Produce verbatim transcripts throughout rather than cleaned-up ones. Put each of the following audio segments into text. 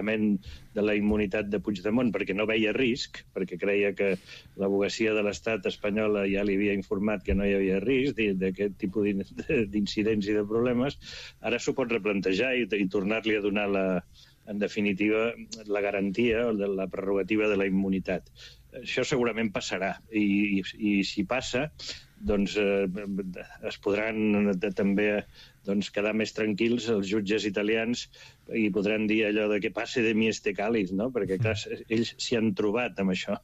de la immunitat de Puigdemont perquè no veia risc, perquè creia que l'advocacia de l'Estat espanyola ja li havia informat que no hi havia risc d'aquest tipus d'incidents i de problemes, ara s'ho pot replantejar i, i tornar-li a donar, la, en definitiva, la garantia o la prerrogativa de la immunitat. Això segurament passarà, i, i, i si passa, doncs eh, es podran de, també doncs, quedar més tranquils els jutges italians i podran dir allò de que passe de mi este cáliz, no? Perquè clar, ells s'hi han trobat amb això.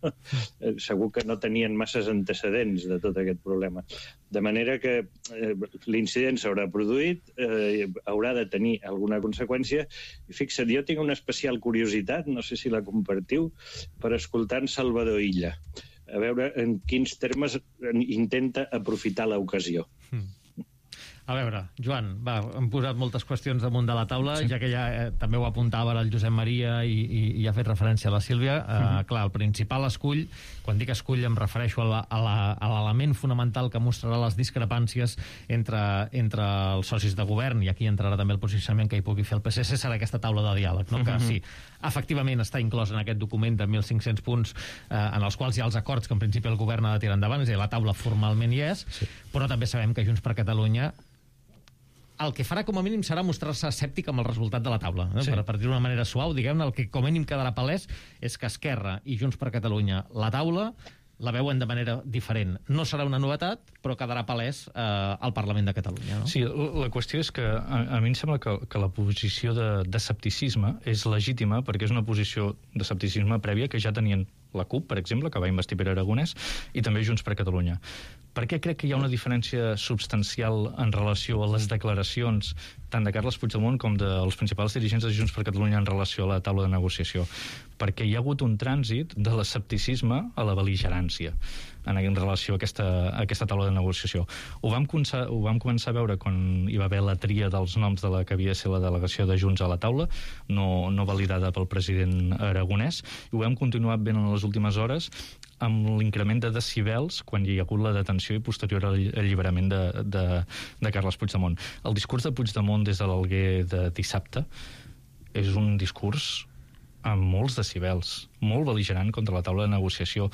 Segur que no tenien masses antecedents de tot aquest problema. De manera que eh, l'incident s'haurà produït, eh, haurà de tenir alguna conseqüència, i fixa't, jo tinc una especial curiositat, no sé si la compartiu, per escoltar en Salvador Illa, a veure en quins termes intenta aprofitar l'ocasió. Mm. A veure, Joan, va, hem posat moltes qüestions damunt de la taula, sí. Ja que ja eh, també ho apuntava ara el Josep Maria i, i, i ha fet referència a la Sílvia. Eh, mm-hmm. Clar, el principal escull, quan dic escull em refereixo a l'element fonamental que mostrarà les discrepàncies entre, entre els socis de govern, i aquí entrarà també el posicionament que hi pugui fer el P S C, serà aquesta taula de diàleg, no? Mm-hmm. Que sí, efectivament està inclòs en aquest document de mil cinc-cents punts eh, en els quals hi ha els acords que en principi el govern ha de tirar endavant, és a dir, la taula formalment hi és, sí. Però també sabem que Junts per Catalunya el que farà com a mínim serà mostrar-se escèptic amb el resultat de la taula, eh? Sí. Per, per dir-ho d'una manera suau, diguem-ne, el que com a mínim quedarà palès és que Esquerra i Junts per Catalunya la taula la veuen de manera diferent. No serà una novetat, però quedarà palès eh, al Parlament de Catalunya, no? Sí, la qüestió és que a, a mi em sembla que, que la posició d'escepticisme és legítima perquè és una posició d'escepticisme prèvia que ja tenien la CUP, per exemple, que va investir Pere Aragonès, i també Junts per Catalunya. Per què crec que hi ha una diferència substancial en relació a les declaracions tant de Carles Puigdemont com dels principals dirigents de Junts per Catalunya en relació a la taula de negociació? Perquè hi ha hagut un trànsit de l'escepticisme a la bel·ligerància en, en relació a aquesta, a aquesta taula de negociació. Ho vam, començar, ho vam començar a veure quan hi va haver la tria dels noms de la que havia de ser la delegació de Junts a la taula, no, no validada pel president Aragonès, i ho vam continuar veient en les últimes hores amb l'increment de decibels quan hi ha hagut la detenció i posterior alliberament de, de, de Carles Puigdemont. El discurs de Puigdemont des de l'Alguer de dissabte és un discurs amb molts decibels, molt bel·ligerant contra la taula de negociació,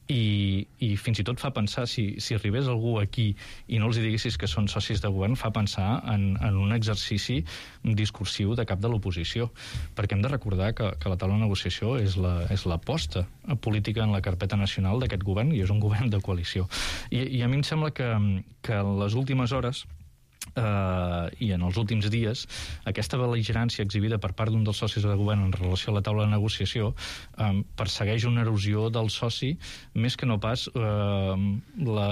i, i fins i tot fa pensar, si, si arribés algú aquí i no els diguessis que són socis de govern, fa pensar en, en un exercici discursiu de cap de l'oposició, perquè hem de recordar que, que la taula de negociació és la, és l'aposta política en la carpeta nacional d'aquest govern, i és un govern de coalició. I, i a mi em sembla que, que en les últimes hores Uh, i en els últims dies aquesta bel·ligerància exhibida per part d'un dels socis de govern en relació a la taula de negociació um, persegueix una erosió del soci més que no pas uh, la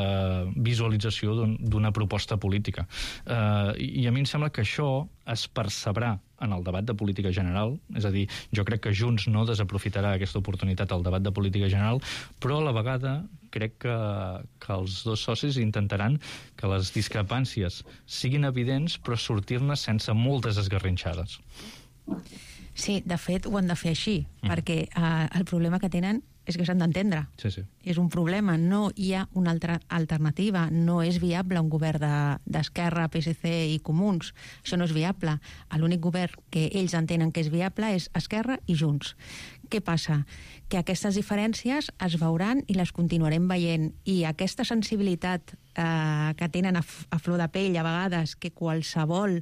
visualització d'una proposta política. Uh, i a mi em sembla que això es percebrà en el debat de política general, és a dir, jo crec que Junts no desaprofitarà aquesta oportunitat al debat de política general, però a la vegada crec que, que els dos socis intentaran que les discrepàncies siguin evidents, però sortir-ne sense moltes esgarrinxades. Sí, de fet ho han de fer així, mm. perquè uh, el problema que tenen és que s'han d'entendre. Sí, sí. És un problema, no hi ha una altra alternativa, no és viable un govern d'Esquerra, de, P S C i Comuns, això no és viable. L'únic govern que ells entenen que és viable és Esquerra i Junts. Què passa? Que aquestes diferències es veuran i les continuarem veient, i aquesta sensibilitat eh, que tenen a, a flor de pell a vegades, que qualsevol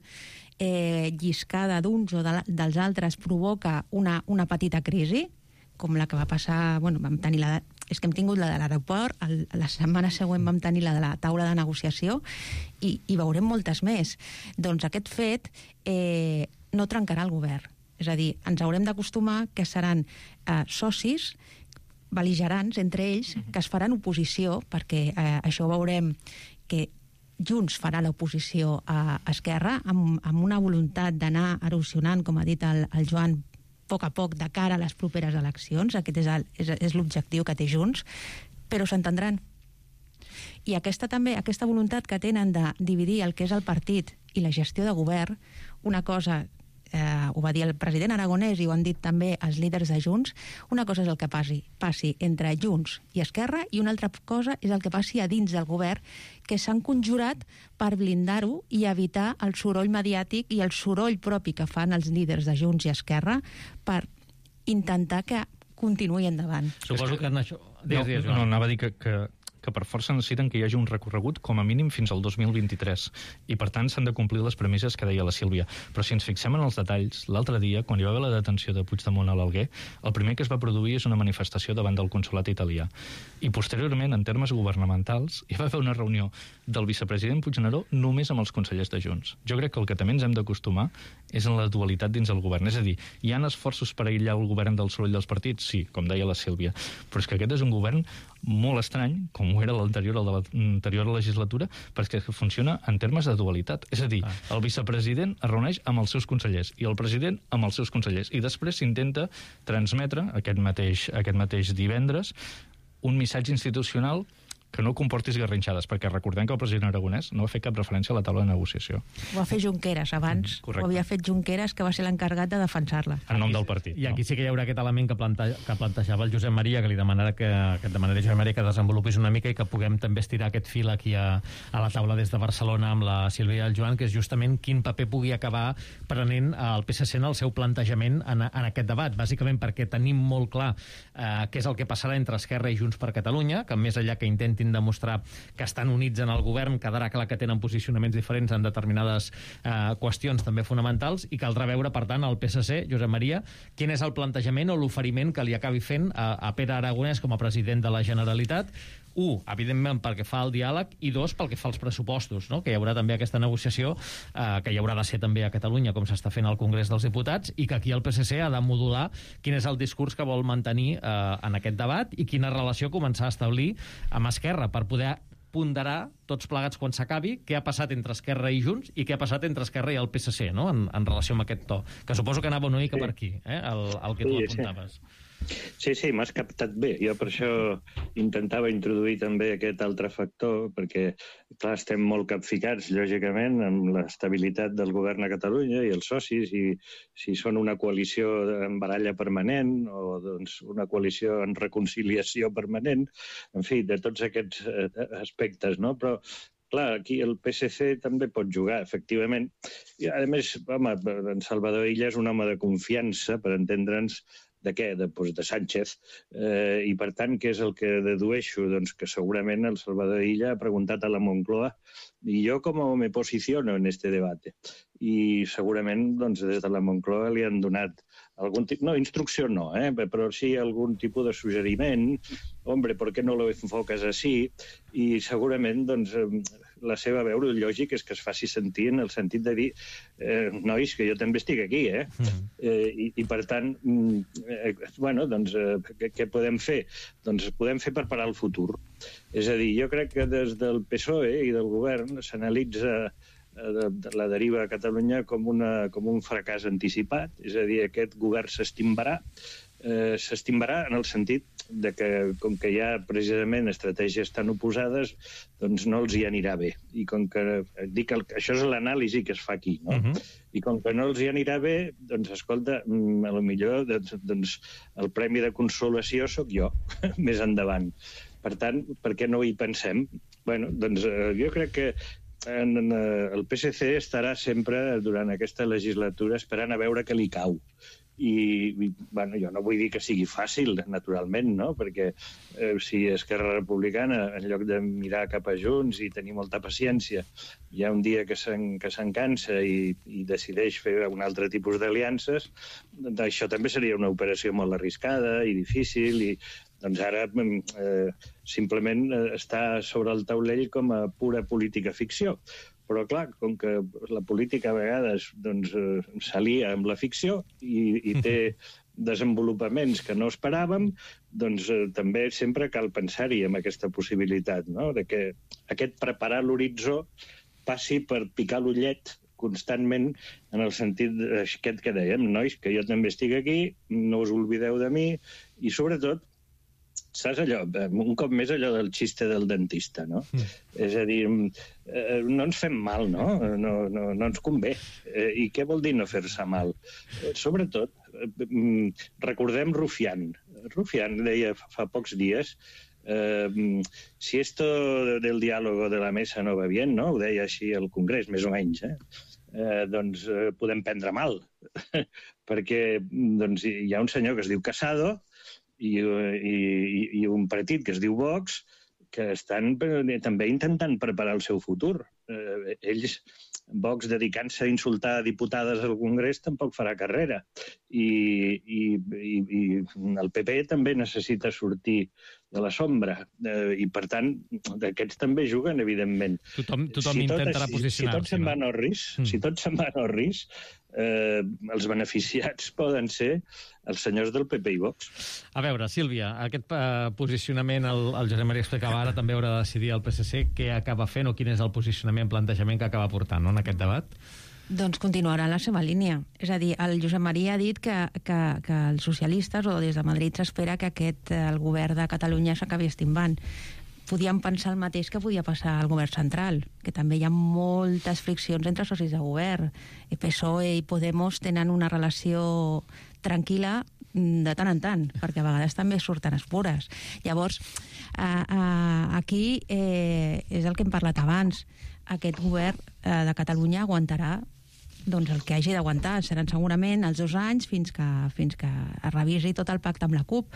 eh, lliscada d'uns o de, dels altres provoca una, una petita crisi, com la que va passar, bueno, vam tenir la, és que hem tingut la de l'aeroport, la setmana següent vam tenir la de la taula de negociació, i, i veurem moltes més. Doncs aquest fet eh, no trencarà el govern. És a dir, ens haurem d'acostumar que seran eh, socis bel·ligerants entre ells, que es faran oposició, perquè eh, això veurem que Junts farà l'oposició a Esquerra amb, amb una voluntat d'anar erosionant, com ha dit el, el Joan, a poc a poc de cara a les properes eleccions. Aquest és, el, és, és l'objectiu que té Junts, però s'entendran. I aquesta també, aquesta voluntat que tenen de dividir el que és el partit i la gestió de govern, una cosa, eh, ho va dir el president Aragonès i ho han dit també els líders de Junts, una cosa és el que passi, passi entre Junts i Esquerra, i una altra cosa és el que passi a dins del govern, que s'han conjurat per blindar-ho i evitar el soroll mediàtic i el soroll propi que fan els líders de Junts i Esquerra per, intentar que continuï endavant. Suposo que en això... No, no, anava a dir que, que, que per força necessiten que hi hagi un recorregut com a mínim fins al dos mil vint-i-tres i per tant s'han de complir les premisses que deia la Sílvia. Però si ens fixem en els detalls, l'altre dia, quan hi va haver la detenció de Puigdemont a l'Alguer, el primer que es va produir és una manifestació davant del consolat italià. I posteriorment, en termes governamentals, hi va haver una reunió del vicepresident Puigneró només amb els consellers de Junts. Jo crec que el que també ens hem d'acostumar és en la dualitat dins el govern. És a dir, hi ha esforços per aïllar el govern del soroll dels partits? Sí, com deia la Sílvia. Però és que aquest és un govern molt estrany, com ho era l'anterior, el de l'anterior legislatura, perquè funciona en termes de dualitat. És a dir, el vicepresident es reuneix amb els seus consellers i el president amb els seus consellers. I després s'intenta transmetre, aquest mateix, aquest mateix divendres, un missatge institucional que no comporti esgarrinxades, perquè recordem que el president Aragonès no va fer cap referència a la taula de negociació. Ho va fer Junqueras abans, mm, ho havia fet Junqueras, que va ser l'encarregat de defensar-la. En nom del partit. I aquí no? Sí que hi haurà aquest element que, plante que plantejava el Josep Maria, que li demanarà que, que et demanaré, Josep Maria, que desenvolupis una mica i que puguem també estirar aquest fil aquí a, a la taula des de Barcelona amb la Sílvia i el Joan, que és justament quin paper pugui acabar prenent el P S C en el seu plantejament en, en aquest debat, bàsicament perquè tenim molt clar eh, què és el que passarà entre Esquerra i Junts per Catalunya, que més enllà que intentin demostrar que estan units en el govern, quedarà clar que tenen posicionaments diferents en determinades eh, qüestions també fonamentals, i caldrà veure, per tant, al P S C, Josep Maria, quin és el plantejament o l'oferiment que li acabi fent a, a Pere Aragonès com a president de la Generalitat. Un, evidentment, pel que fa al diàleg, i dos, pel que fa als pressupostos, no? Que hi haurà també aquesta negociació, eh, que hi haurà de ser també a Catalunya, com s'està fent al Congrés dels Diputats, i que aquí el P S C ha de modular quin és el discurs que vol mantenir eh, en aquest debat i quina relació començar a establir amb Esquerra, per poder ponderar tots plegats quan s'acabi què ha passat entre Esquerra i Junts i què ha passat entre Esquerra i el P S C, no? en, en relació amb aquest to, que suposo que anava una mica per aquí, eh? el, el que tu apuntaves. Sí, sí, m'has captat bé. Jo per això intentava introduir també aquest altre factor, perquè, clar, estem molt capficats, lògicament, amb l'estabilitat del govern a Catalunya i els socis, i si són una coalició en baralla permanent o doncs, una coalició en reconciliació permanent, en fi, de tots aquests aspectes, no? Però clar, aquí el P S C també pot jugar, efectivament. I, a més, home, en Salvador Illa és un home de confiança, per entendre'ns, de què? De, doncs de Sánchez. Eh, I, per tant, què és el que dedueixo? Doncs que segurament el Salvador Illa ha preguntat a la Moncloa i jo com me posiciono en este debate. I segurament doncs, des de la Moncloa li han donat algun tipus, no, instrucció no, eh? Però sí algun tipus de suggeriment. Hombre, ¿por qué no lo enfocas así? I segurament, doncs, la seva veu lògic és que es faci sentir en el sentit de dir eh, nois, que jo també estic aquí, eh? Mm. eh i, I, per tant, eh, bueno, doncs, eh, què, què podem fer? Doncs podem fer per parar el futur. És a dir, jo crec que des del P S O E i del govern s'analitza de, de la deriva a Catalunya com, una, com un fracàs anticipat, és a dir, aquest govern s'estimbarà, eh, s'estimbarà en el sentit de que, com que hi ha precisament estratègies tan oposades, doncs no els hi anirà bé. I com que, dic, el, això és l'anàlisi que es fa aquí, no? Uh-huh. I com que no els hi anirà bé, doncs, escolta, a lo millor doncs, doncs, el premi de consolació sóc jo, més endavant. Per tant, per què no hi pensem? Bueno, doncs eh, jo crec que en, en, el P S C estarà sempre, durant aquesta legislatura, esperant a veure què li cau. I, i bueno, jo no vull dir que sigui fàcil, naturalment, no? Perquè eh, si Esquerra Republicana, en lloc de mirar cap a Junts i tenir molta paciència, hi ha un dia que se'n que se'n cansa i, i decideix fer un altre tipus d'aliances, doncs això també seria una operació molt arriscada i difícil, i doncs ara eh, simplement està sobre el taulell com a pura política ficció. Però, clar, com que la política a vegades doncs, s'alia amb la ficció i, i té desenvolupaments que no esperàvem, doncs eh, també sempre cal pensar-hi amb aquesta possibilitat, no? De que aquest preparar l'horitzó passi per picar l'ullet constantment en el sentit aquest que dèiem, nois, que jo també estic aquí, no us oblideu de mi, i sobretot saps allò, un cop més allò del xiste del dentista, no? Mm. És a dir, eh, no ens fem mal, no? No, no, no ens convé. Eh, I què vol dir no fer-se mal? Eh, sobretot, eh, recordem Rufián. Rufián deia fa pocs dies eh, si esto del diálogo de la mesa no va bien, no? Ho deia així al Congrés, més o menys, eh? eh, doncs eh, podem prendre mal. Perquè doncs, hi ha un senyor que es diu Casado i, i, i un partit que es diu Vox que estan també intentant preparar el seu futur. Eh, ells, Vox, dedicant-se a insultar diputades al Congrés, tampoc farà carrera. I, i, i, i el P P també necessita sortir de la sombra. Eh, I, per tant, d'aquests també juguen, evidentment. Tothom, tothom si tot, intentarà si, posicionar-se. Si tots se'n van al risc, mm. si tots se'n van al risc, eh, els beneficiats poden ser els senyors del P P i Vox. A veure, Sílvia, aquest uh, posicionament el, el Josep Maria explicava ara, també haurà de decidir el P S C què acaba fent o quin és el posicionament, plantejament que acaba portant, no?, en aquest debat. Doncs continuarà en la seva línia. És a dir, el Josep Maria ha dit que, que, que els socialistes o des de Madrid s'espera que aquest, el govern de Catalunya s'acabi estimbant. Podíem pensar el mateix que podia passar al govern central, que també hi ha moltes friccions entre socis de govern. El P S O E i Podemos tenen una relació tranquil·la de tant en tant, perquè a vegades també surten espores. Llavors, a, a, aquí eh, és el que hem parlat abans. Aquest govern eh, de Catalunya aguantarà doncs el que hagi d'aguantar. Seran segurament els dos anys fins que, fins que es revisi tot el pacte amb la CUP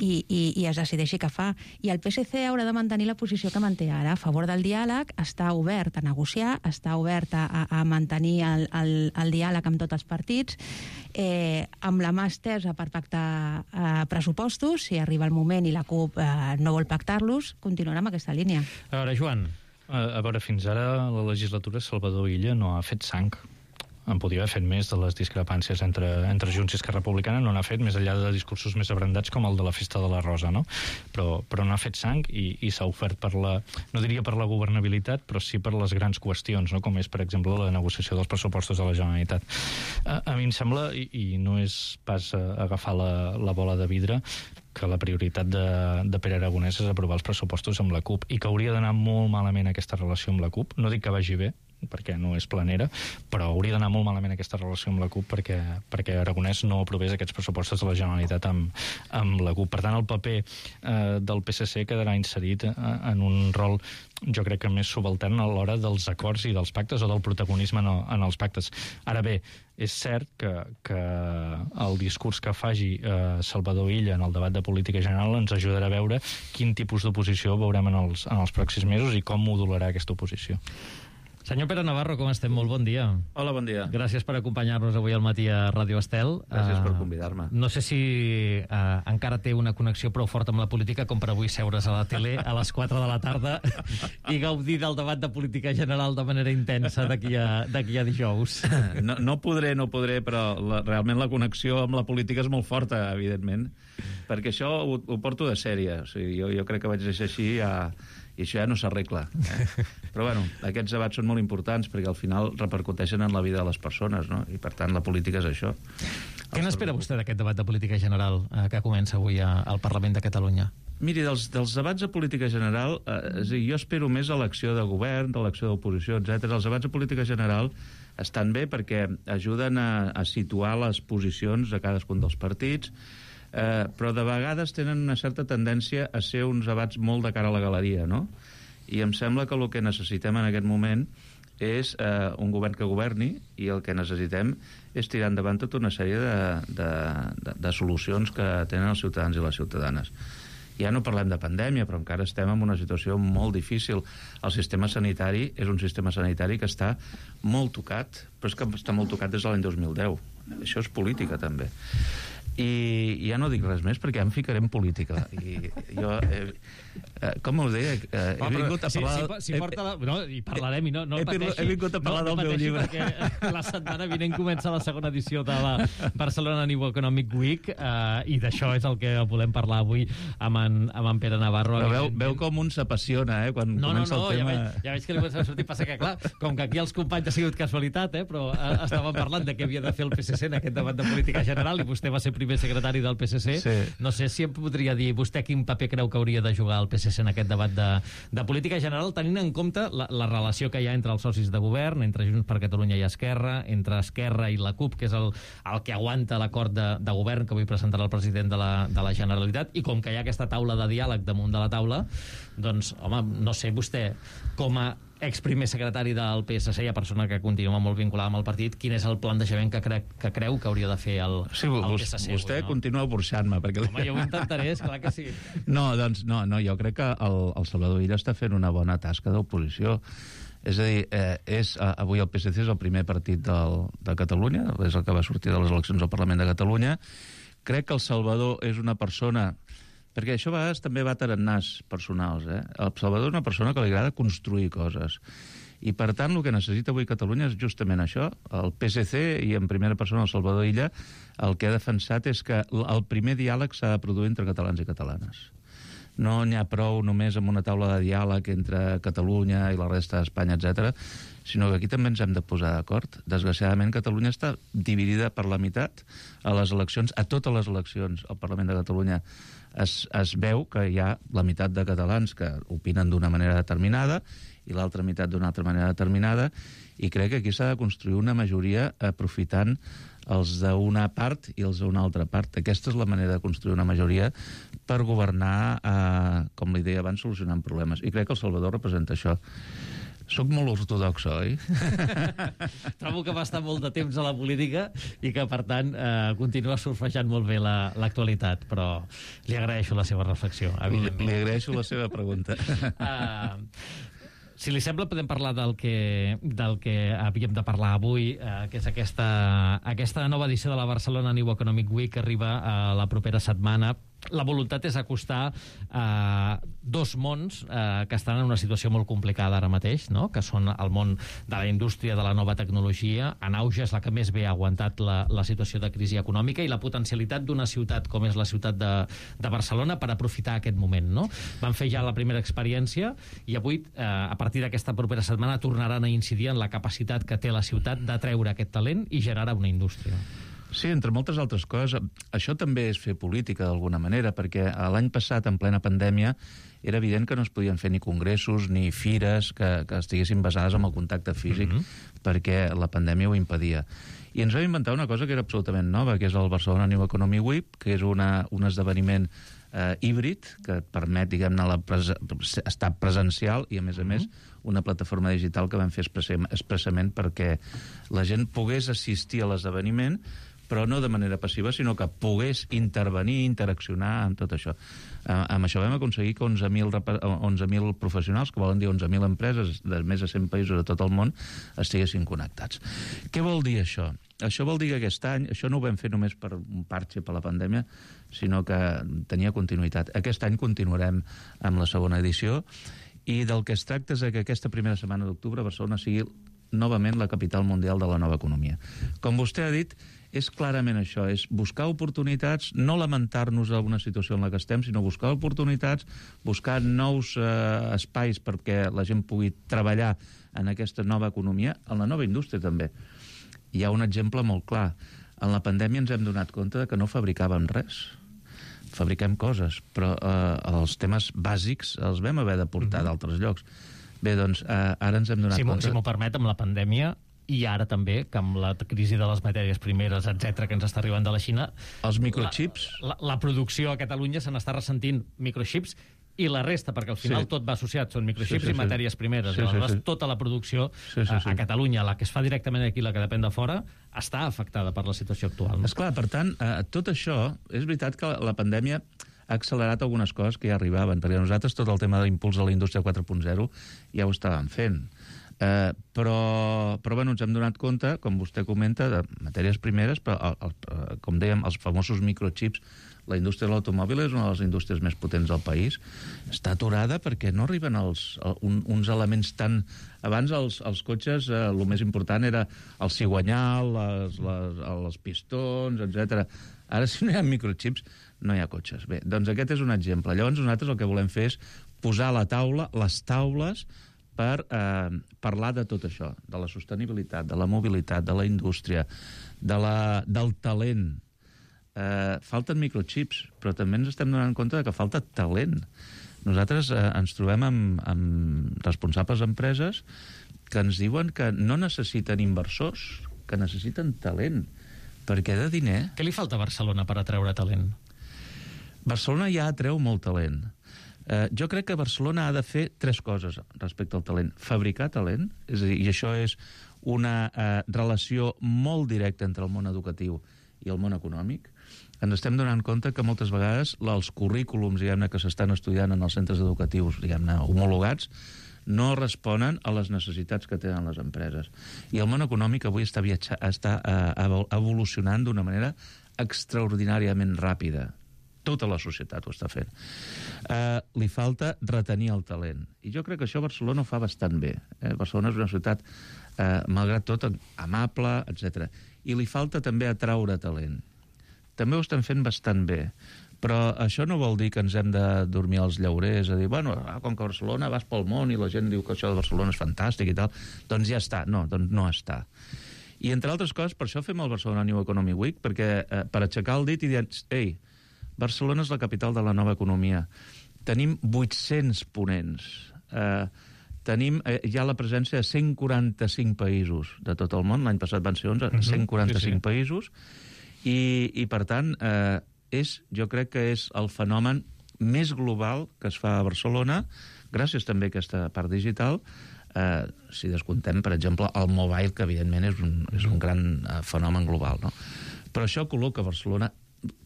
i, i, i es decideixi què fa. I el P S C haurà de mantenir la posició que manté ara, a favor del diàleg, està obert a negociar, està obert a, a mantenir el, el, el diàleg amb tots els partits, eh, amb la mà estesa per pactar eh, pressupostos. Si arriba el moment i la CUP eh, no vol pactar-los, continuarà amb aquesta línia. A veure, Joan. A, a veure, fins ara la legislatura Salvador Illa no ha fet sang. En podia haver fet més de les discrepàncies entre, entre Junts i Esquerra Republicana, no n'ha fet, més enllà de discursos més abrandats com el de la Festa de la Rosa, no? Però, però no ha fet sang i, i s'ha ofert per la, no diria per la governabilitat, però sí per les grans qüestions, no? Com és, per exemple, la negociació dels pressupostos de la Generalitat. A, a mi em sembla, i, i no és pas agafar la, la bola de vidre, que la prioritat de, de Pere Aragonès és aprovar els pressupostos amb la CUP i que hauria d'anar molt malament aquesta relació amb la CUP. No dic que vagi bé, perquè no és planera, però hauria d'anar molt malament aquesta relació amb la CUP perquè, perquè Aragonès no aprovés aquests pressupostos de la Generalitat amb, amb la CUP. Per tant, el paper eh, del P S C quedarà inserit eh, en un rol, jo crec que més subaltern a l'hora dels acords i dels pactes o del protagonisme en, el, en els pactes. Ara bé, és cert que, que el discurs que faci eh, Salvador Illa en el debat de política general ens ajudarà a veure quin tipus d'oposició veurem en els, en els pròxims mesos i com modularà aquesta oposició. Senyor Pere Navarro, com estem? Molt bon dia. Hola, bon dia. Gràcies per acompanyar-nos avui al matí a Ràdio Estel. Gràcies uh, per convidar-me. No sé si uh, encara té una connexió prou forta amb la política com per avui seure's a la tele a les quatre de la tarda i gaudir del debat de política general de manera intensa d'aquí a, d'aquí a dijous. No, no podré, no podré, però la, realment la connexió amb la política és molt forta, evidentment, perquè això ho, ho porto de sèrie. O sigui, jo, jo crec que vaig deixar així a... i això ja no s'arregla. Eh? Però, bueno, aquests debats són molt importants perquè al final repercuteixen en la vida de les persones, no? I, per tant, la política és això. Què n'espera vostè d'aquest debat de política general eh, que comença avui a, al Parlament de Catalunya? Miri, dels, dels debats de política general, eh, és a dir, jo espero més a l'acció de govern, de l'acció d'oposició, etcètera. Els debats de política general estan bé perquè ajuden a, a situar les posicions de cadascun dels partits, Eh, però de vegades tenen una certa tendència a ser uns debats molt de cara a la galeria, no? I em sembla que el que necessitem en aquest moment és eh, un govern que governi i el que necessitem és tirar endavant tota una sèrie de, de, de, de solucions que tenen els ciutadans i les ciutadanes. Ja no parlem de pandèmia, però encara estem en una situació molt difícil. El sistema sanitari és un sistema sanitari que està molt tocat, però és que està molt tocat des de l'any dos mil deu. Això és política, també. I ja no dic res més perquè ja em ficaré en política i jo, eh, eh, com ho deia eh, he vingut a parlar si, si, si porta la, no, i parlarem i no, no he, pateixi, he vingut a parlar no, del no meu llibre perquè la setmana vinent comença la segona edició de la Barcelona New Economic Week eh, i d'això és el que volem parlar avui amb en, amb en Pere Navarro. Però veu, veu com un s'apassiona eh, quan no, comença no, no, el tema ja veig, ja veig que li comença a sortir, passa que clar, com que aquí els companys ha sigut casualitat, eh, però eh, estàvem parlant de què havia de fer el P S C en aquest debat de política general i vostè va ser primer secretari del P S C. Sí. No sé si em podria dir vostè quin paper creu que hauria de jugar el P S C en aquest debat de, de política general, tenint en compte la, la relació que hi ha entre els socis de govern, entre Junts per Catalunya i Esquerra, entre Esquerra i la CUP, que és el, el que aguanta l'acord de, de govern que avui presentarà el president de la, de la Generalitat, i com que hi ha aquesta taula de diàleg damunt de la taula, doncs, home, no sé vostè, com a exprimer secretari del P S C i a persona que continua molt vinculada amb el partit, quin és el plantejament que, cre que creu que hauria de fer el, sí, el vos, P S C? Vostè avui, no? continua burxant-me. Perquè... Home, jo ho intentaré, esclar que sí. No, doncs, no, no, jo crec que el, el Salvador Illa està fent una bona tasca d'oposició. És a dir, eh, és, avui el P S C és el primer partit del, de Catalunya, és el que va sortir de les eleccions al Parlament de Catalunya. Crec que el Salvador és una persona... Perquè això a vegades també va tarannars personals. Eh? El Salvador és una persona que li agrada construir coses. I, per tant, el que necessita avui Catalunya és justament això. El P S C, i en primera persona el Salvador Illa, el que ha defensat és que el primer diàleg s'ha de produir entre catalans i catalanes. No n'hi ha prou només amb una taula de diàleg entre Catalunya i la resta d'Espanya, etcètera, sinó que aquí també ens hem de posar d'acord. Desgraciadament, Catalunya està dividida per la meitat a les eleccions, a totes les eleccions al Parlament de Catalunya. Es, es veu que hi ha la meitat de catalans que opinen d'una manera determinada i l'altra meitat d'una altra manera determinada, i crec que aquí s'ha de construir una majoria aprofitant els d'una part i els d'una altra part. Aquesta és la manera de construir una majoria per governar, eh, com li deia abans, solucionant problemes. I crec que El Salvador representa això. Soc molt ortodox, oi? Trobo que va estar molt de temps a la política i que, per tant, eh, continua surfejant molt bé l'actualitat, la, però li agraeixo la seva reflexió, evidentment. Li, li agraeixo la seva pregunta. Uh, si li sembla, podem parlar del que, del que havíem de parlar avui, eh, que és aquesta, aquesta nova edició de la Barcelona New Economic Week que arriba a la propera setmana. La voluntat és acostar eh, dos mons eh, que estan en una situació molt complicada ara mateix, no? Que són el món de la indústria de la nova tecnologia. En auge és la que més bé ha aguantat la, la situació de crisi econòmica, i la potencialitat d'una ciutat com és la ciutat de, de Barcelona per aprofitar aquest moment, no? Van fer ja la primera experiència i avui, eh, a partir d'aquesta propera setmana, tornaran a incidir en la capacitat que té la ciutat d'atreure aquest talent i generar una indústria. Sí, entre moltes altres coses. Això també és fer política, d'alguna manera, perquè l'any passat, en plena pandèmia, era evident que no es podien fer ni congressos ni fires que, que estiguessin basades en el contacte físic, mm-hmm. perquè la pandèmia ho impedia. I ens vam inventar una cosa que era absolutament nova, que és el Barcelona New Economy Week, que és una, un esdeveniment eh, híbrid, que et permet, diguem-ne, la pres estar presencial i, a més a mm-hmm. més, una plataforma digital que vam fer expressament perquè la gent pogués assistir a l'esdeveniment, però no de manera passiva, sinó que pogués intervenir, interaccionar amb tot això. Eh, amb això vam aconseguir que onze mil professionals, que volen dir onze mil empreses de més de cent països de tot el món, estiguessin connectats. Què vol dir això? Això vol dir que aquest any, això no ho vam fer només per un parche per la pandèmia, sinó que tenia continuïtat. Aquest any continuarem amb la segona edició, i del que es tracta és que aquesta primera setmana d'octubre Barcelona sigui novament la capital mundial de la nova economia. Com vostè ha dit, és clarament això, és buscar oportunitats, no lamentar-nos d'alguna situació en la que estem, sinó buscar oportunitats, buscar nous eh, espais perquè la gent pugui treballar en aquesta nova economia, en la nova indústria també. Hi ha un exemple molt clar. En la pandèmia ens hem donat compte que no fabricàvem res. Fabriquem coses, però eh, els temes bàsics els vam haver de portar mm-hmm. d'altres llocs. Bé, doncs, eh, ara ens hem donat si compte... Si m'ho permet, amb la pandèmia, i ara també, que amb la crisi de les matèries primeres, etcètera, que ens està arribant de la Xina... Els microchips... La, la, la producció a Catalunya se n'està ressentint, microchips, i la resta, perquè al final sí. tot va associat, són microchips sí, sí, sí. i matèries primeres. Sí, sí, sí. Tota la producció sí, sí, sí. A, a Catalunya, la que es fa directament aquí, la que depèn de fora, està afectada per la situació actual. No? Esclar, per tant, eh, tot això, és veritat que la, la pandèmia ha accelerat algunes coses que ja arribaven, perquè nosaltres tot el tema de l'impuls de la indústria quatre punt zero ja ho estàvem fent. Eh, però, però bueno, ens hem donat compte, com vostè comenta, de matèries primeres, però el, el, com dèiem, els famosos microchips, la indústria de l'automòbil és una de les indústries més potents del país, està aturada perquè no arriben els, un, uns elements tan... Abans els, els cotxes, eh, el més important era el cigüanyal, les, les, els pistons, etcètera. Ara, si no hi ha microchips, no hi ha cotxes. Bé, doncs aquest és un exemple. Llavors nosaltres el que volem fer és posar a la taula les taules per eh, parlar de tot això, de la sostenibilitat, de la mobilitat, de la indústria, de la, del talent. Eh, falten microchips, però també ens estem donant compte que falta talent. Nosaltres eh, ens trobem amb, amb responsables d'empreses que ens diuen que no necessiten inversors, que necessiten talent. Perquè de diner... Què li falta a Barcelona per atreure talent? Barcelona ja atreu molt talent. Eh, jo crec que Barcelona ha de fer tres coses respecte al talent. Fabricar talent, és a dir, i això és una eh, relació molt directa entre el món educatiu i el món econòmic. Ens estem donant compte que moltes vegades els currículums, diguem-ne, que s'estan estudiant en els centres educatius, diguem-ne, homologats, no responen a les necessitats que tenen les empreses. I el món econòmic avui està, viatja, està eh, evolucionant d'una manera extraordinàriament ràpida. Tota la societat ho està fent. Eh, li falta retenir el talent. I jo crec que això Barcelona ho fa bastant bé. Eh? Barcelona és una ciutat, eh, malgrat tot, amable, etcètera. I li falta també atraure talent. També ho estan fent bastant bé. Però això no vol dir que ens hem de dormir als llaurers, a dir, bueno, com que a Barcelona vas pel món i la gent diu que això de Barcelona és fantàstic i tal, doncs ja està. No, doncs no està. I entre altres coses, per això fem el Barcelona New Economic Week, perquè eh, per aixecar el dit i dir, ei, Barcelona és la capital de la nova economia. Tenim vuit-cents ponents. Eh, tenim, eh, hi ha la presència de cent quaranta-cinc països de tot el món. L'any passat van ser onze, uh-huh. cent quaranta-cinc sí, sí. països. I, i per tant, eh, és, jo crec que és el fenomen més global que es fa a Barcelona, gràcies també a aquesta part digital, eh, si descomptem, per exemple, el mobile, que evidentment és un, és un gran eh, fenomen global. No? Però això col·loca Barcelona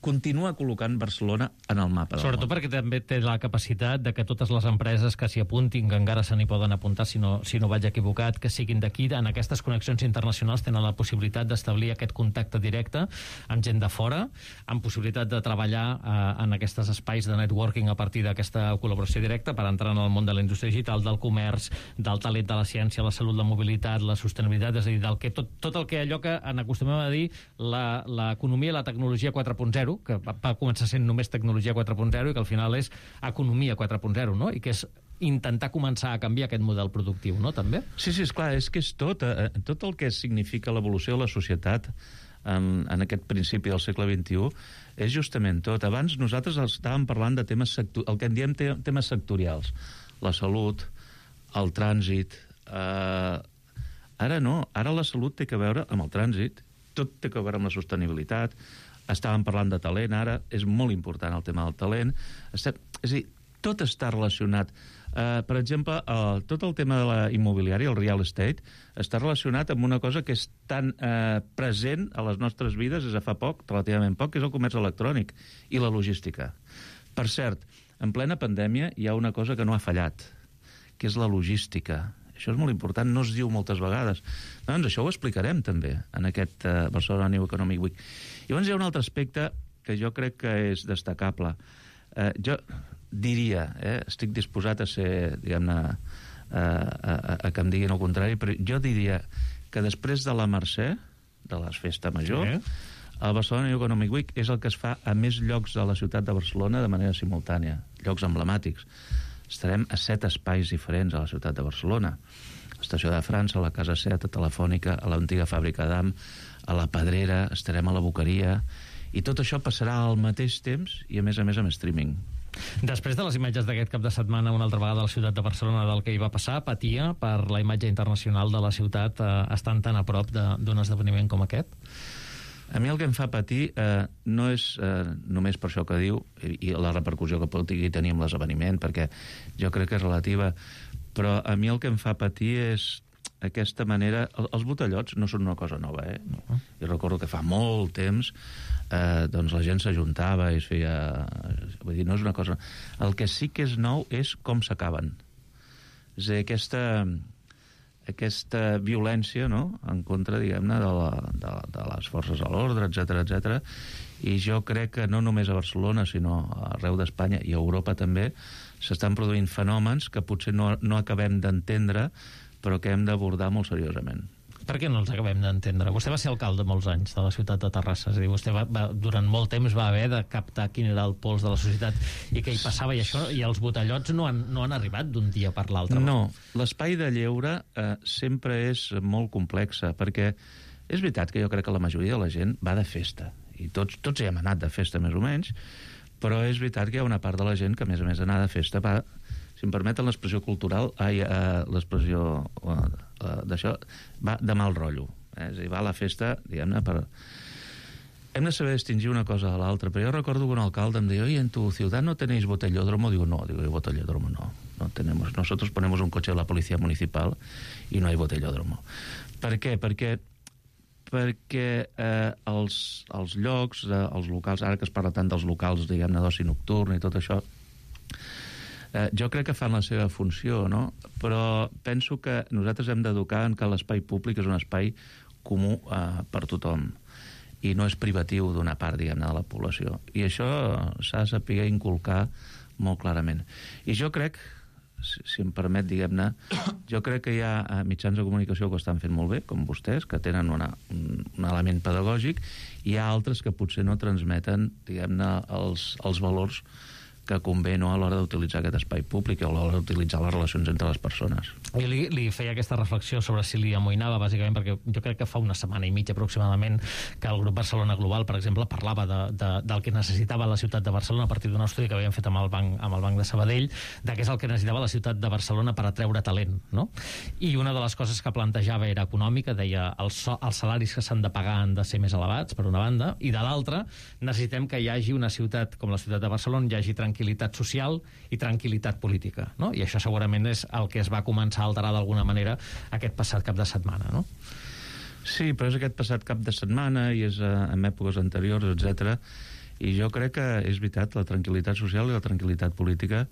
continua col·locant Barcelona en el mapa del Sobretot món. perquè també té la capacitat de que totes les empreses que s'hi apuntin, que encara se n'hi poden apuntar si no, si no vaig equivocat, que siguin d'aquí, en aquestes connexions internacionals tenen la possibilitat d'establir aquest contacte directe amb gent de fora, amb possibilitat de treballar eh, en aquests espais de networking a partir d'aquesta col·laboració directa per entrar en el món de la indústria digital, del comerç, del talent de la ciència, la salut, la mobilitat, la sostenibilitat, és a dir, del que, tot, tot el que allò que en acostumem a dir l'economia i la tecnologia quatre punt zero, que va, va començar sent només tecnologia quatre punt zero i que al final és economia quatre punt zero, no? I que és intentar començar a canviar aquest model productiu, no? També? Sí, sí, esclar, és que és tot, eh, tot el que significa l'evolució de la societat en, en aquest principi del segle vint-i-u és justament tot. Abans nosaltres estàvem parlant de temes sector, el que en diem te, temes sectorials. La salut, el trànsit... Eh, ara no, ara la salut té que veure amb el trànsit, tot té que veure amb la sostenibilitat. Estàvem parlant de talent, ara és molt important el tema del talent. Estem, és a dir, tot està relacionat. Uh, per exemple, uh, tot el tema de la immobiliària, el real estate, està relacionat amb una cosa que és tan uh, present a les nostres vides des de fa poc, relativament poc, que és el comerç electrònic i la logística. Per cert, en plena pandèmia hi ha una cosa que no ha fallat, que és la logística. Això és molt important, no es diu moltes vegades. Doncs això ho explicarem també en aquest uh, Barcelona New Economic Week. I llavors hi ha un altre aspecte que jo crec que és destacable. Eh, jo diria, eh, estic disposat a ser, diguem-ne, a, a, a que em diguin el contrari, però jo diria que després de la Mercè, de la Festa Major, sí. el Barcelona New Economic Week és el que es fa a més llocs de la ciutat de Barcelona de manera simultània, llocs emblemàtics. Estarem a set espais diferents a la ciutat de Barcelona. L'Estació de França, a la Casa Set, a Telefònica, a l'antiga fàbrica d'Am, a la Pedrera, estarem a la Boqueria, i tot això passarà al mateix temps i, a més a més, amb streaming. Després de les imatges d'aquest cap de setmana, una altra vegada a la ciutat de Barcelona del que hi va passar, patia per la imatge internacional de la ciutat eh, estant tan a prop d'un esdeveniment com aquest? A mi el que em fa patir eh, no és eh, només per això que diu i, i la repercussió que pot tenir amb l'esdeveniment, perquè jo crec que és relativa, però a mi el que em fa patir és aquesta manera... El, els botellots no són una cosa nova, eh? No. Jo recordo que fa molt temps eh, doncs la gent s'ajuntava i es feia... Vull dir, no és una cosa... El que sí que és nou és com s'acaben. És a dir, aquesta... aquesta violència, no?, en contra, diguem-ne, de, la, de, de les forces de l'ordre, etcètera, etcètera. I jo crec que no només a Barcelona, sinó arreu d'Espanya i a Europa també, s'estan produint fenòmens que potser no, no acabem d'entendre, però que hem d'abordar molt seriosament. Per què no els acabem d'entendre? Vostè va ser alcalde molts anys de la ciutat de Terrassa, és a dir, vostè va, va, durant molt temps va haver de captar quin era el pols de la societat i què hi passava, i això, i els botellots no han, no han arribat d'un dia per l'altre. No, l'espai de lleure eh, sempre és molt complexa, perquè és veritat que jo crec que la majoria de la gent va de festa, i tots, tots hi hem anat de festa més o menys, però és veritat que hi ha una part de la gent que, a més a més d'anar de festa, va, si em permeten l'expressió cultural, ai, uh, l'expressió uh, uh, d'això, va de mal rotllo. Eh? És a dir, va a la festa, diguem-ne, per... hem de saber distingir una cosa de l'altra, però jo recordo que un alcalde em deia, oye, en tu ciudad no tenéis botellódromo? Digo, no, digo, botellódromo no, no tenemos, nosotros ponemos un coche de la policía municipal y no hay botellódromo. Per què? Perquè perquè eh, els, els llocs, eh, els locals, ara que es parla tant dels locals, diguem-ne, d'oci nocturn i tot això, eh, jo crec que fan la seva funció, no? Però penso que nosaltres hem d'educar en que l'espai públic és un espai comú eh, per tothom, i no és privatiu d'una part, diguem-ne, de la població. I això s'ha de saber inculcar molt clarament. I jo crec, si, si em permet, diguem-ne, jo crec que hi ha mitjans de comunicació que ho estan fent molt bé, com vostès, que tenen una, un, un element pedagògic, i hi ha altres que potser no transmeten, diguem-ne, els, els valors que convé, no, a l'hora d'utilitzar aquest espai públic o a l'hora d'utilitzar les relacions entre les persones. I li, li feia aquesta reflexió sobre si li amoïnava, bàsicament, perquè jo crec que fa una setmana i mitja aproximadament que el grup Barcelona Global, per exemple, parlava de, de, del que necessitava la ciutat de Barcelona a partir d'un estudi que havien fet amb el banc, amb el banc de Sabadell, de què és el que necessitava la ciutat de Barcelona per atreure talent, no? I una de les coses que plantejava era econòmica, deia els, els salaris que s'han de pagar han de ser més elevats, per una banda, i de l'altra necessitem que hi hagi una ciutat com la ciutat de Barcelona, hi hagi tranquil·litat social i tranquil·litat política, no? I això segurament és el que es va començar a alterar d'alguna manera aquest passat cap de setmana, no? Sí, però és aquest passat cap de setmana i és uh, en èpoques anteriors, etcètera. I jo crec que és veritat, la tranquil·litat social i la tranquil·litat política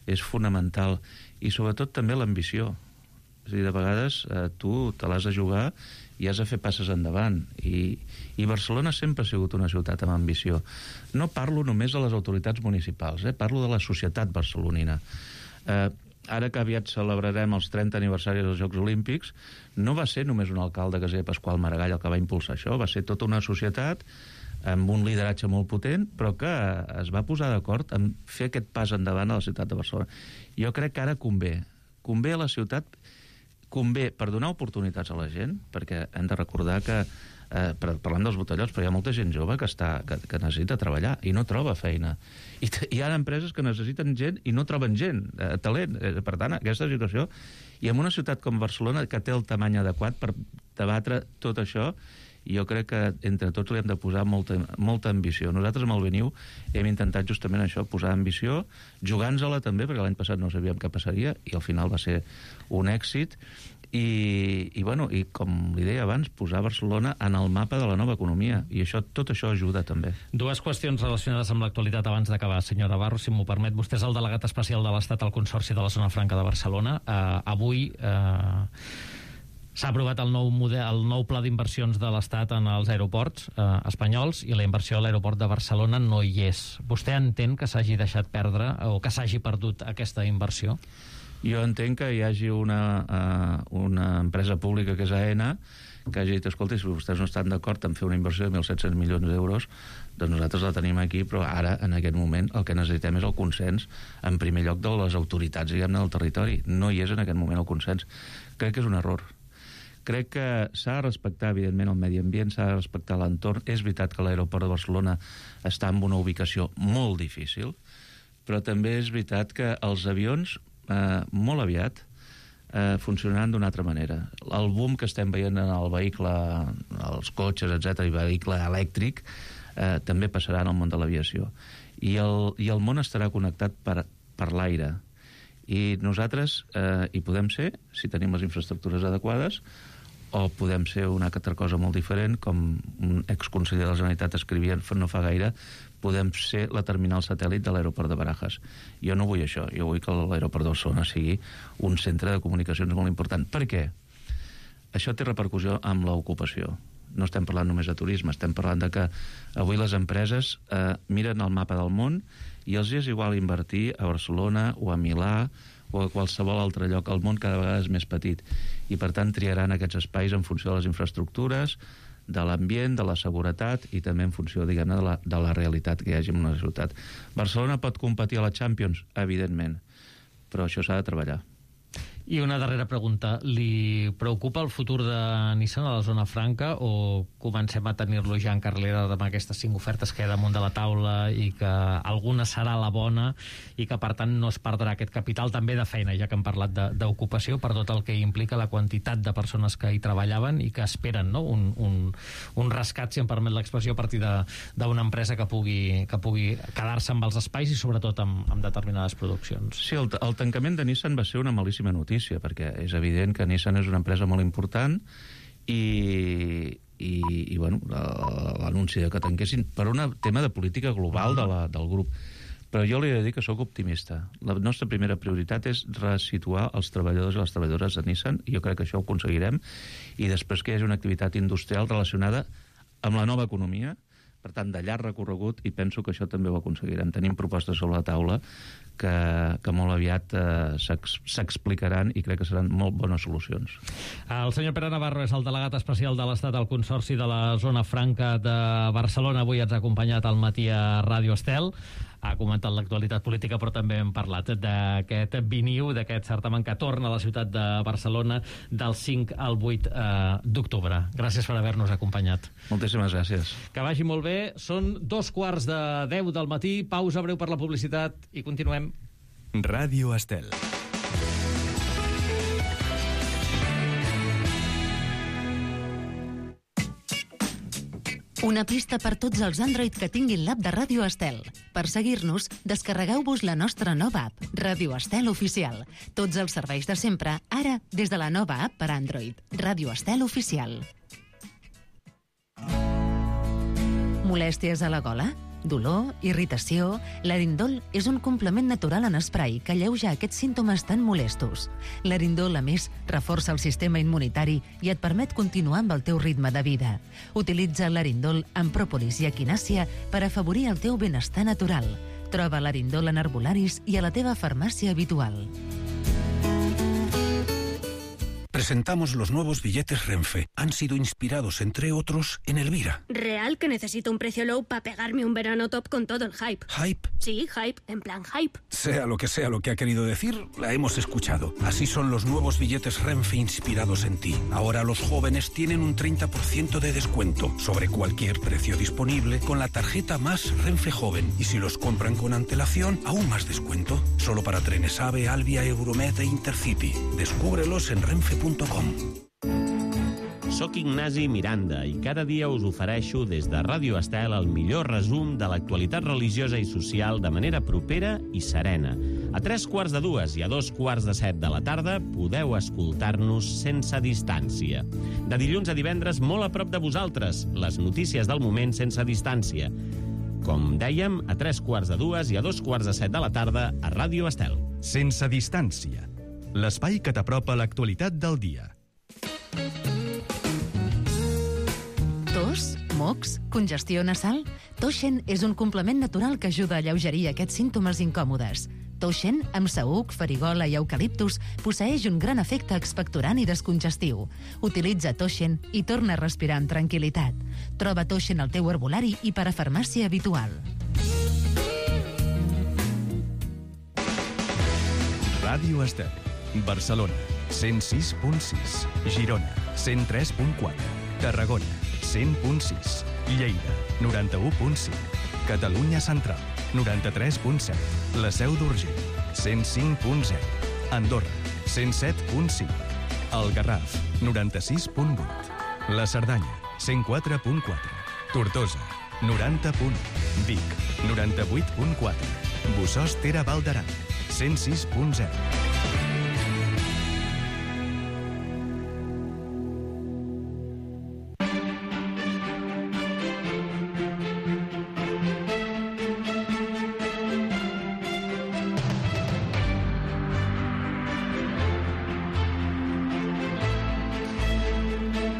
és fonamental, i sobretot també l'ambició. És a dir, de vegades eh, tu te l'has de jugar i has de fer passes endavant, i, i Barcelona sempre ha sigut una ciutat amb ambició. No parlo només de les autoritats municipals, eh? Parlo de la societat barcelonina. Eh, ara que aviat celebrarem els trenta aniversaris dels Jocs Olímpics, no va ser només un alcalde, que es deia Pasqual Maragall, el que va impulsar això, va ser tota una societat amb un lideratge molt potent, però que es va posar d'acord en fer aquest pas endavant a la ciutat de Barcelona. Jo crec que ara convé, convé a la ciutat, convé per donar oportunitats a la gent, perquè hem de recordar que, eh, parlant dels botellots, però hi ha molta gent jove que, està, que, que necessita treballar i no troba feina. I hi ha empreses que necessiten gent i no troben gent, eh, talent. Eh, per tant, aquesta situació, i en una ciutat com Barcelona, que té el tamany adequat per debatre tot això, jo crec que entre tots li hem de posar molta, molta ambició. Nosaltres amb el Veniu hem intentat justament això, posar ambició, jugant-se-la també, perquè l'any passat no sabíem què passaria, i al final va ser un èxit, i, i, bueno, i com li deia abans, posar Barcelona en el mapa de la nova economia, i això, tot això ajuda també. Dues qüestions relacionades amb l'actualitat abans d'acabar, senyora Barro, si m'ho permet. Vostè és el delegat especial de l'Estat al Consorci de la Zona Franca de Barcelona. Uh, avui... Uh... S'ha aprovat el nou, model, el nou pla d'inversions de l'Estat en els aeroports eh, espanyols, i la inversió a l'aeroport de Barcelona no hi és. Vostè entén que s'hagi deixat perdre o que s'hagi perdut aquesta inversió? Jo entenc que hi hagi una, uh, una empresa pública que és AENA que hagi dit, escolta, si vostès no estan d'acord en fer una inversió de mil set-cents milions d'euros, doncs nosaltres la tenim aquí, però ara, en aquest moment, el que necessitem és el consens, en primer lloc, de les autoritats, diguem-ne, del territori. No hi és en aquest moment el consens. Crec que és un error. Crec que s'ha de respectar, evidentment, el medi ambient, s'ha de respectar l'entorn. És veritat que l'aeroport de Barcelona està en una ubicació molt difícil, però també és veritat que els avions, eh, molt aviat, eh, funcionaran d'una altra manera. El boom que estem veient en el vehicle, els cotxes, etcètera, i vehicle elèctric, eh, també passarà en el món de l'aviació. I el, i el món estarà connectat per, per l'aire. I nosaltres eh, hi podem ser, si tenim les infraestructures adequades, o podem ser una altra cosa molt diferent, com un exconseller de la Generalitat escrivia no fa gaire, podem ser la terminal satèl·lit de l'aeroport de Barajas. Jo no vull això, jo vull que l'aeroport de Barcelona sigui un centre de comunicacions molt important. Per què? Això té repercussió amb l'ocupació. No estem parlant només de turisme, estem parlant de que avui les empreses eh, miren el mapa del món i els és igual invertir a Barcelona o a Milà o a qualsevol altre lloc. El món cada vegada és més petit i, per tant, triaran aquests espais en funció de les infraestructures, de l'ambient, de la seguretat i també en funció, diguem-ne, de, la, de la realitat que hi hagi en una ciutat. Barcelona pot competir a la Champions? Evidentment, però això s'ha de treballar. I una darrera pregunta. Li preocupa el futur de Nissan a la zona franca o comencem a tenir-lo ja en carrera amb aquestes cinc ofertes que hi ha damunt de la taula i que alguna serà la bona i que, per tant, no es perdrà aquest capital també de feina, ja que hem parlat d'ocupació, per tot el que implica la quantitat de persones que hi treballaven i que esperen, no? un, un, un rescat, si em permet l'expressió, a partir d'una empresa que pugui, que pugui quedar-se amb els espais i sobretot amb, amb determinades produccions. Sí, el, el tancament de Nissan va ser una malíssima notícia, perquè és evident que Nissan és una empresa molt important i, i, i bueno, l'anunci de que tanquessin per un tema de política global de la, del grup. Però jo li he de dir que sóc optimista. La nostra primera prioritat és resituar els treballadors i les treballadores de Nissan, i jo crec que això ho aconseguirem, i després que hi hagi una activitat industrial relacionada amb la nova economia, per tant, de llarg recorregut, i penso que això també ho aconseguirem. Tenim propostes sobre la taula que, que molt aviat eh, s'explicaran i crec que seran molt bones solucions. El senyor Pere Navarro és el delegat especial de l'Estat al Consorci de la Zona Franca de Barcelona. Avui ens ha acompanyat al matí a Ràdio Estel. Ha comentat l'actualitat política, però també hem parlat d'aquest viniu, d'aquest certamen que torna a la ciutat de Barcelona del cinc al vuit eh, d'octubre. Gràcies per haver-nos acompanyat. Moltíssimes gràcies. Que vagi molt bé. Són dos quarts de deu del matí. Pausa breu per la publicitat i continuem. Ràdio Estel. Una pista per tots els Android que tinguin l'app de Ràdio Estel. Per seguir-nos, descarregueu-vos la nostra nova app, Ràdio Estel Oficial. Tots els serveis de sempre, ara, des de la nova app per Android. Ràdio Estel Oficial. Molèsties a la gola? Dolor, irritació... L'Arindol és un complement natural en esprai que alleuja aquests símptomes tan molestos. L'Arindol, a més, reforça el sistema immunitari i et permet continuar amb el teu ritme de vida. Utilitza l'Arindol amb pròpolis i equinàcia per afavorir el teu benestar natural. Troba l'Arindol en herbolaris i a la teva farmàcia habitual. Presentamos los nuevos billetes Renfe. Han sido inspirados, entre otros, en Elvira. Real que necesito un precio low para pegarme un verano top con todo el hype. ¿Hype? Sí, hype, en plan hype. Sea lo que sea lo que ha querido decir, la hemos escuchado. Así son los nuevos billetes Renfe inspirados en ti. Ahora los jóvenes tienen un treinta por ciento de descuento sobre cualquier precio disponible con la tarjeta Más Renfe Joven. Y si los compran con antelación, aún más descuento. Solo para trenes AVE, Alvia, Euromed e Intercity. Descúbrelos en renfe punto com. Soc Ignasi Miranda i cada dia us ofereixo des de Ràdio Estel el millor resum de l'actualitat religiosa i social de manera propera i serena. A tres quarts de dues i a dos quarts de set de la tarda podeu escoltar-nos sense distància. De dilluns a divendres, molt a prop de vosaltres, les notícies del moment sense distància. Com dèiem, a tres quarts de dues i a dos quarts de set de la tarda a Ràdio Estel. Sense distància. L'espai que t'apropa l'actualitat del dia. Tos, mocs, congestió nasal? Toshen és un complement natural que ajuda a alleugerir aquests símptomes incòmodes. Toshen, amb saüc, farigola i eucaliptus, posseeix un gran efecte expectorant i descongestiu. Utilitza Toshen i torna a respirar amb tranquil·litat. Troba Toshen al teu herbolari i per a farmàcia habitual. Ràdio Estel. Barcelona, cent sis punt sis. Girona, cent tres punt quatre. Tarragona, cent punt sis. Lleida, noranta-u punt cinc. Catalunya Central, noranta-tres punt set. La Seu d'Urgell, cent cinc punt zero. Andorra, cent set punt cinc. El Garraf, noranta-sis punt vuit. La Cerdanya, cent quatre punt quatre. Tortosa, noranta punt u. Vic, noranta-vuit punt quatre. Bossòst Ter Val d'Aran, cent sis punt zero.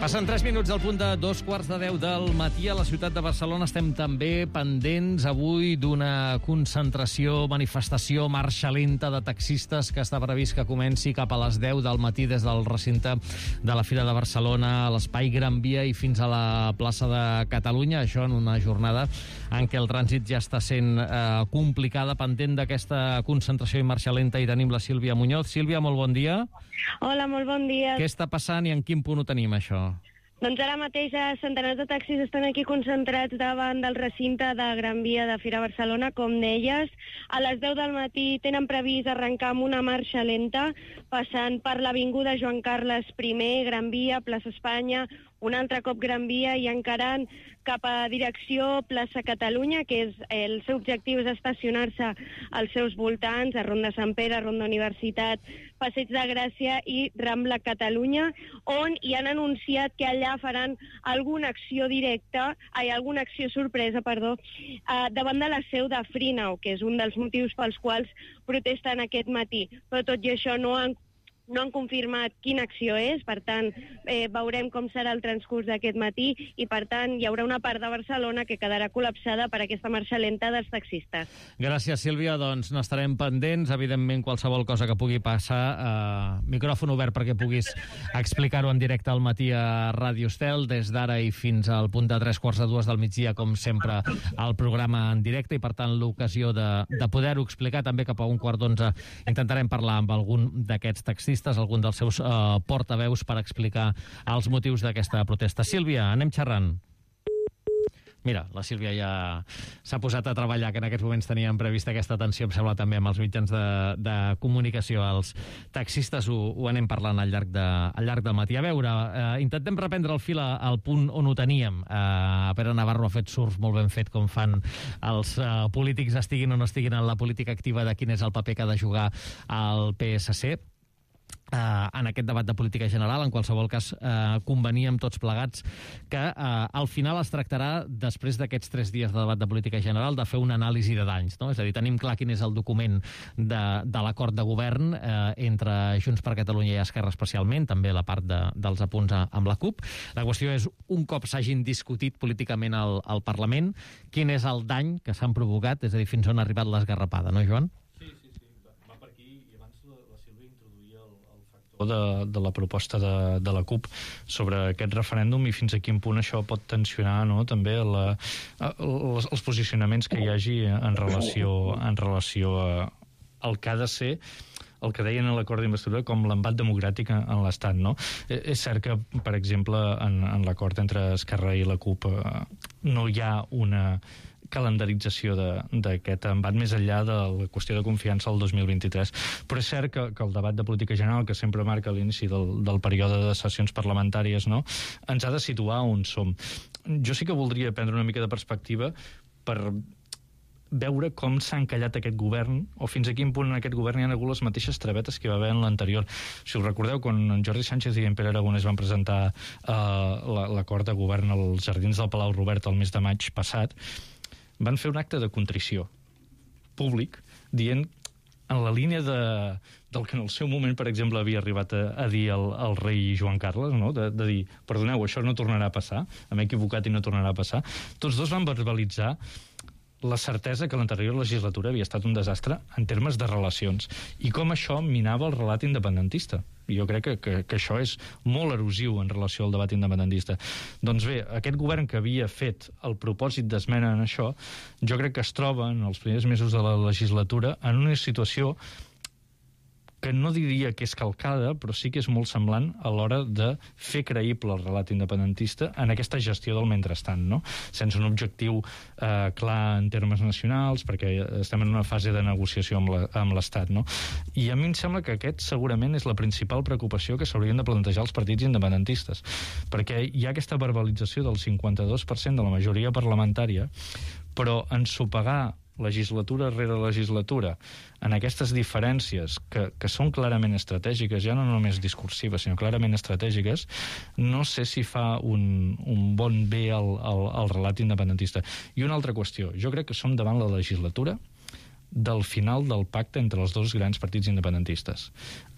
Passen tres minuts al punt de dos quarts de deu del matí a la ciutat de Barcelona. Estem també pendents avui d'una concentració, manifestació, marxa lenta de taxistes que està previst que comenci cap a les deu del matí des del recinte de la Fira de Barcelona a l'Espai Gran Via i fins a la plaça de Catalunya. Això en una jornada en què el trànsit ja està sent eh, complicada, pendent d'aquesta concentració i marxa lenta. I tenim la Sílvia Muñoz. Sílvia, molt bon dia. Hola, molt bon dia. Què està passant i en quin punt ho tenim, això? Doncs ara mateix centenars de taxis estan aquí concentrats davant del recinte de Gran Via de Fira Barcelona, com deies. A les deu del matí tenen previst arrencar amb una marxa lenta, passant per l'Avinguda Joan Carles primer, Gran Via, plaça Espanya, un altre cop Gran Via i encarant cap a direcció plaça Catalunya, que és, el seu objectiu és estacionar-se als seus voltants, a Ronda Sant Pere, Ronda Universitat, Passeig de Gràcia i Rambla Catalunya, on hi han anunciat que allà faran alguna acció directa, ai, alguna acció sorpresa, perdó, eh, davant de la seu de Freenau, que és un dels motius pels quals protesten aquest matí. Però tot i això no han No han confirmat quina acció és, per tant, eh, veurem com serà el transcurs d'aquest matí i, per tant, hi haurà una part de Barcelona que quedarà col·lapsada per aquesta marxa lenta dels taxistes. Gràcies, Sílvia. Doncs n'estarem pendents. Evidentment, qualsevol cosa que pugui passar, eh, micròfon obert perquè puguis explicar-ho en directe al matí a Ràdio Estel, des d'ara i fins al punt de tres quarts de dues del migdia, com sempre, al programa en directe, i, per tant, l'ocasió de, de poder-ho explicar. També cap a un quart d'onze intentarem parlar amb algun d'aquests taxistes, algun dels seus eh, portaveus, per explicar els motius d'aquesta protesta. Sílvia, anem xerrant. Mira, la Sílvia ja s'ha posat a treballar, que en aquests moments teníem prevista aquesta atenció, em sembla, també amb els mitjans de, de comunicació. Els taxistes ho, ho anem parlant al llarg, de, al llarg del matí. A veure, eh, intentem reprendre el fil a, al punt on ho teníem. Eh, Pere Navarro ha fet surf molt ben fet, com fan els eh, polítics, estiguin o no estiguin en la política activa, de quin és el paper que ha de jugar el P S C. Uh, en aquest debat de política general. En qualsevol cas, uh, conveníem tots plegats que uh, al final es tractarà, després d'aquests tres dies de debat de política general, de fer una anàlisi de danys, no? És a dir, tenim clar quin és el document de, de l'acord de govern uh, entre Junts per Catalunya i Esquerra, especialment, també la part de, dels apunts a, amb la CUP. La qüestió és, un cop s'hagin discutit políticament al, al Parlament, quin és el dany que s'han provocat, és a dir, fins on ha arribat l'esgarrapada, no, Joan? De, de la proposta de, de la CUP sobre aquest referèndum i fins a quin punt això pot tensionar, no, també la, els, els posicionaments que hi hagi en relació, en relació a, al que ha de ser el que deien a l'acord d'investidura com l'embat democràtic en l'Estat, no? És cert que, per exemple, en, en l'acord entre Esquerra i la CUP eh, no hi ha una calendarització d'aquest embat més enllà de la qüestió de confiança al dos mil vint-i-tres. Però és cert que, que el debat de política general, que sempre marca l'inici del, del període de sessions parlamentàries, no, ens ha de situar on som. Jo sí que voldria prendre una mica de perspectiva per veure com s'ha encallat aquest govern, o fins a quin punt en aquest govern hi ha hagut les mateixes travetes que hi va haver en l'anterior. Si us recordeu, quan en Jordi Sánchez i en Pere Aragonès van presentar uh, l'acord de govern als jardins del Palau Robert el mes de maig passat, van fer un acte de contrició públic, dient, en la línia de, del que en el seu moment, per exemple, havia arribat a, a dir el, el rei Joan Carles, no? de, de dir, perdoneu, això no tornarà a passar, m'he equivocat i no tornarà a passar. Tots dos van verbalitzar la certesa que l'anterior legislatura havia estat un desastre en termes de relacions i com això minava el relat independentista. I jo crec que, que, que això és molt erosiu en relació al debat independentista. Doncs bé, aquest govern que havia fet el propòsit d'esmena en això, jo crec que es troba en els primers mesos de la legislatura en una situació que no diria que és calcada, però sí que és molt semblant a l'hora de fer creïble el relat independentista en aquesta gestió del mentrestant, no? Sense un objectiu eh, clar en termes nacionals, perquè estem en una fase de negociació amb l'Estat, no? I a mi em sembla que aquest segurament és la principal preocupació que s'haurien de plantejar els partits independentistes, perquè hi ha aquesta verbalització del cinquanta-dos per cent de la majoria parlamentària, però ensopegar legislatura rere legislatura en aquestes diferències que, que són clarament estratègiques, ja no només discursives, sinó clarament estratègiques, no sé si fa un, un bon bé al, al, al relat independentista. I una altra qüestió, jo crec que som davant la legislatura del final del pacte entre els dos grans partits independentistes.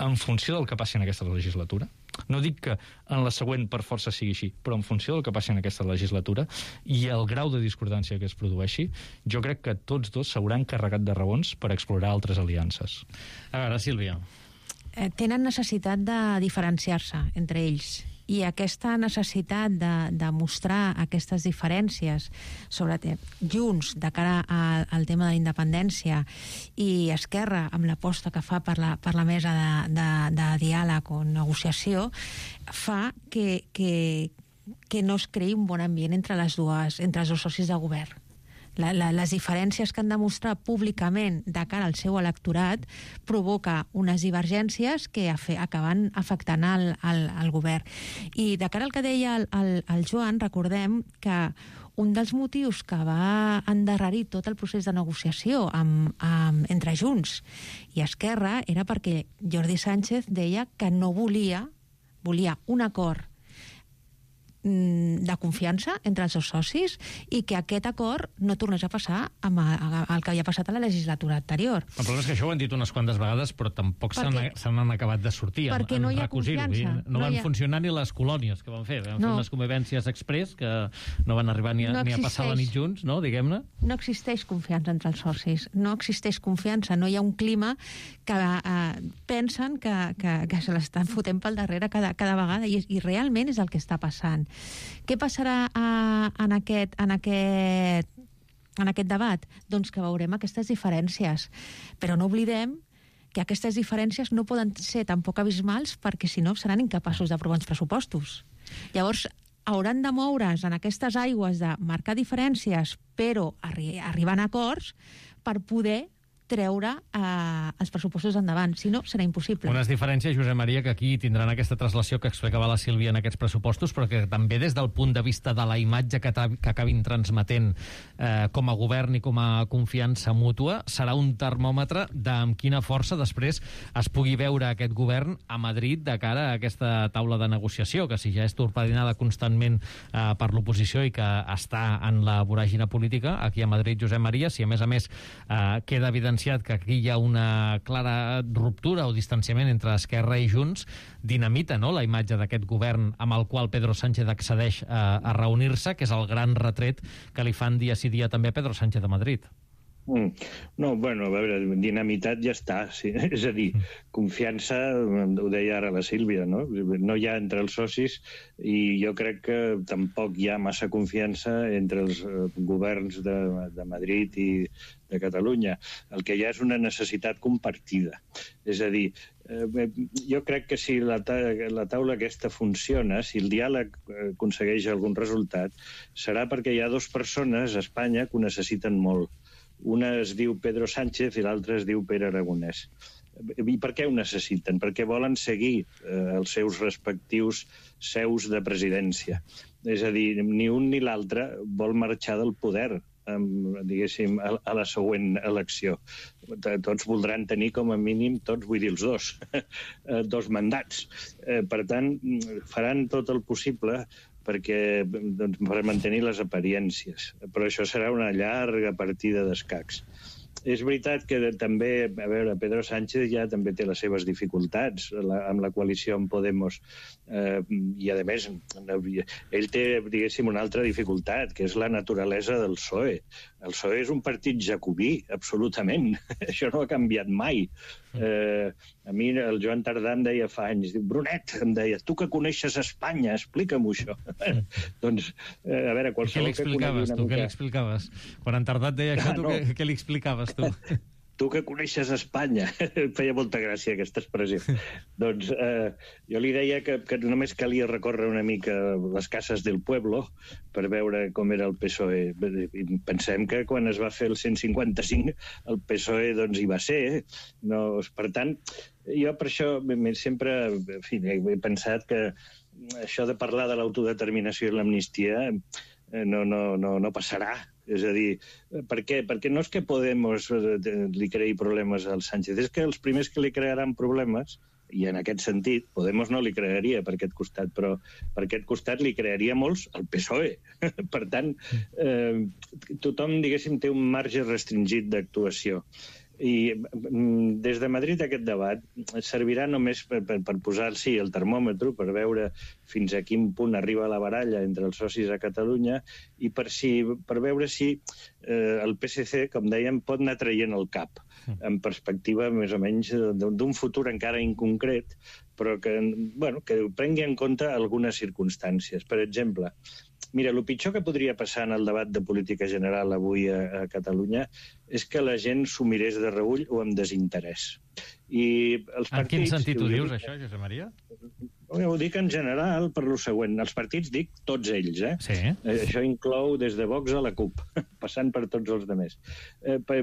En funció del que passi en aquesta legislatura, no dic que en la següent per força sigui així, però en funció del que passi en aquesta legislatura i el grau de discordància que es produeixi, jo crec que tots dos s'hauran carregat de raons per explorar altres aliances. A veure, Sílvia. Eh, tenen necessitat de diferenciar-se entre ells. I aquesta necessitat de, de mostrar aquestes diferències sobre Junts de cara a, al tema de la independència i Esquerra amb l'aposta que fa per la, per la mesa de, de, de diàleg o negociació fa que, que, que no es creï un bon ambient entre, les dues, entre els dos socis de govern. La, la, les diferències que han de mostrar públicament de cara al seu electorat provoca unes divergències que afe, acaben afectant el, el, el govern. I de cara al que deia el, el, el Joan, recordem que un dels motius que va endarrerir tot el procés de negociació amb, amb, entre Junts i Esquerra era perquè Jordi Sánchez deia que no volia, volia un acord de confiança entre els seus socis i que aquest acord no tornés a passar amb el que havia passat a la legislatura anterior. El problema és que això ho han dit unes quantes vegades, però tampoc se n'han acabat de sortir. Perquè no hi ha confiança. No van funcionar ni les colònies que van fer. Van fer unes convivències express que no van arribar ni a passar la nit junts, no, diguem-ne. No existeix confiança entre els socis. No existeix confiança. No hi ha un clima que pensen que se l'estan fotent pel darrere cada vegada i realment és el que està passant. Què passarà a, en, aquest, en, aquest, en aquest debat? Doncs que veurem aquestes diferències. Però no oblidem que aquestes diferències no poden ser tampoc abismals perquè, si no, seran incapaços d'aprovar uns pressupostos. Llavors, hauran de moure's en aquestes aigües de marcar diferències, però arri arribar a acords per poder treure eh, els pressupostos endavant. Si no, serà impossible. Unes diferències, Josep Maria, que aquí tindran aquesta traslació que explicava la Sílvia en aquests pressupostos, però que també des del punt de vista de la imatge que, que acabin transmetent eh, com a govern i com a confiança mútua, serà un termòmetre de amb quina força després es pugui veure aquest govern a Madrid de cara a aquesta taula de negociació, que si ja és torpedinada constantment eh, per l'oposició i que està en la voràgina política, aquí a Madrid, Josep Maria, si a més a més eh, queda evident que aquí hi ha una clara ruptura o distanciament entre Esquerra i Junts, dinamita, no?, la imatge d'aquest govern amb el qual Pedro Sánchez accedeix a, a reunir-se, que és el gran retret que li fan dia sí dia també a Pedro Sánchez de Madrid. Mm. No, bueno, a veure, dinamitat ja està, sí. És a dir, confiança, ho deia ara la Sílvia, no? No hi ha entre els socis i jo crec que tampoc hi ha massa confiança entre els governs de, de Madrid i de Catalunya. El que hi ha és una necessitat compartida. És a dir, eh, jo crec que si la, ta la taula aquesta funciona, si el diàleg aconsegueix algun resultat, serà perquè hi ha dues persones a Espanya que ho necessiten molt. Una es diu Pedro Sánchez i l'altra es diu Pere Aragonès. I per què ho necessiten? Perquè volen seguir eh, els seus respectius seus de presidència. És a dir, ni un ni l'altre vol marxar del poder, amb, diguéssim, a, a la següent elecció. Tots voldran tenir com a mínim, tots, vull dir els dos, dos mandats. Eh, per tant, faran tot el possible perquè, doncs, per mantenir les apariències. Però això serà una llarga partida d'escacs. És veritat que també, a veure, Pedro Sánchez ja també té les seves dificultats la, amb la coalició amb Podemos. Eh, I, a més, ell té, diguéssim, una altra dificultat, que és la naturalesa del P S O E. El P S O E és un partit jacobí, absolutament. Això no ha canviat mai. Eh, a mi el Joan Tardà em deia fa anys, diu, Brunet, em deia, tu que coneixes Espanya, explica'm-ho això. doncs, eh, a veure, qualsevol que conegui una mica... Què li explicaves? Quan en Tardà et deia això, tu, no. què, què li explicaves tu? Tu que coneixes Espanya. Feia molta gràcia aquesta expressió. Doncs eh, jo li deia que, que només calia recórrer una mica les cases del pueblo per veure com era el P S O E. I pensem que quan es va fer el cent cinquanta-cinc el P S O E doncs hi va ser. Eh? No, per tant, jo per això sempre en fi, he pensat que això de parlar de l'autodeterminació i l'amnistia no, no, no, no passarà. És a dir, per què? Perquè no és que Podemos li creï problemes al Sánchez, és que els primers que li crearan problemes, i en aquest sentit, Podemos no li crearia per aquest costat, però per aquest costat li crearia molts el P S O E. Per tant, eh, tothom, diguéssim, té un marge restringit d'actuació. I des de Madrid aquest debat servirà només per, per, per posar, sí, el termòmetre, per veure fins a quin punt arriba la baralla entre els socis a Catalunya i per, si, per veure si eh, el P S C, com dèiem, pot anar traient el cap en perspectiva més o menys d'un futur encara inconcret, però que, bueno, que prengui en compte algunes circumstàncies. Per exemple, mira, el pitjor que podria passar en el debat de política general avui a, a Catalunya és que la gent s'ho mirés de reüll o amb desinterès. I els partits, en quin sentit ho dius, això, Josep Maria? Ho dic en general per lo següent. Els partits dic tots ells, eh? Sí. Això inclou des de Vox a la CUP, passant per tots els altres. Eh, per,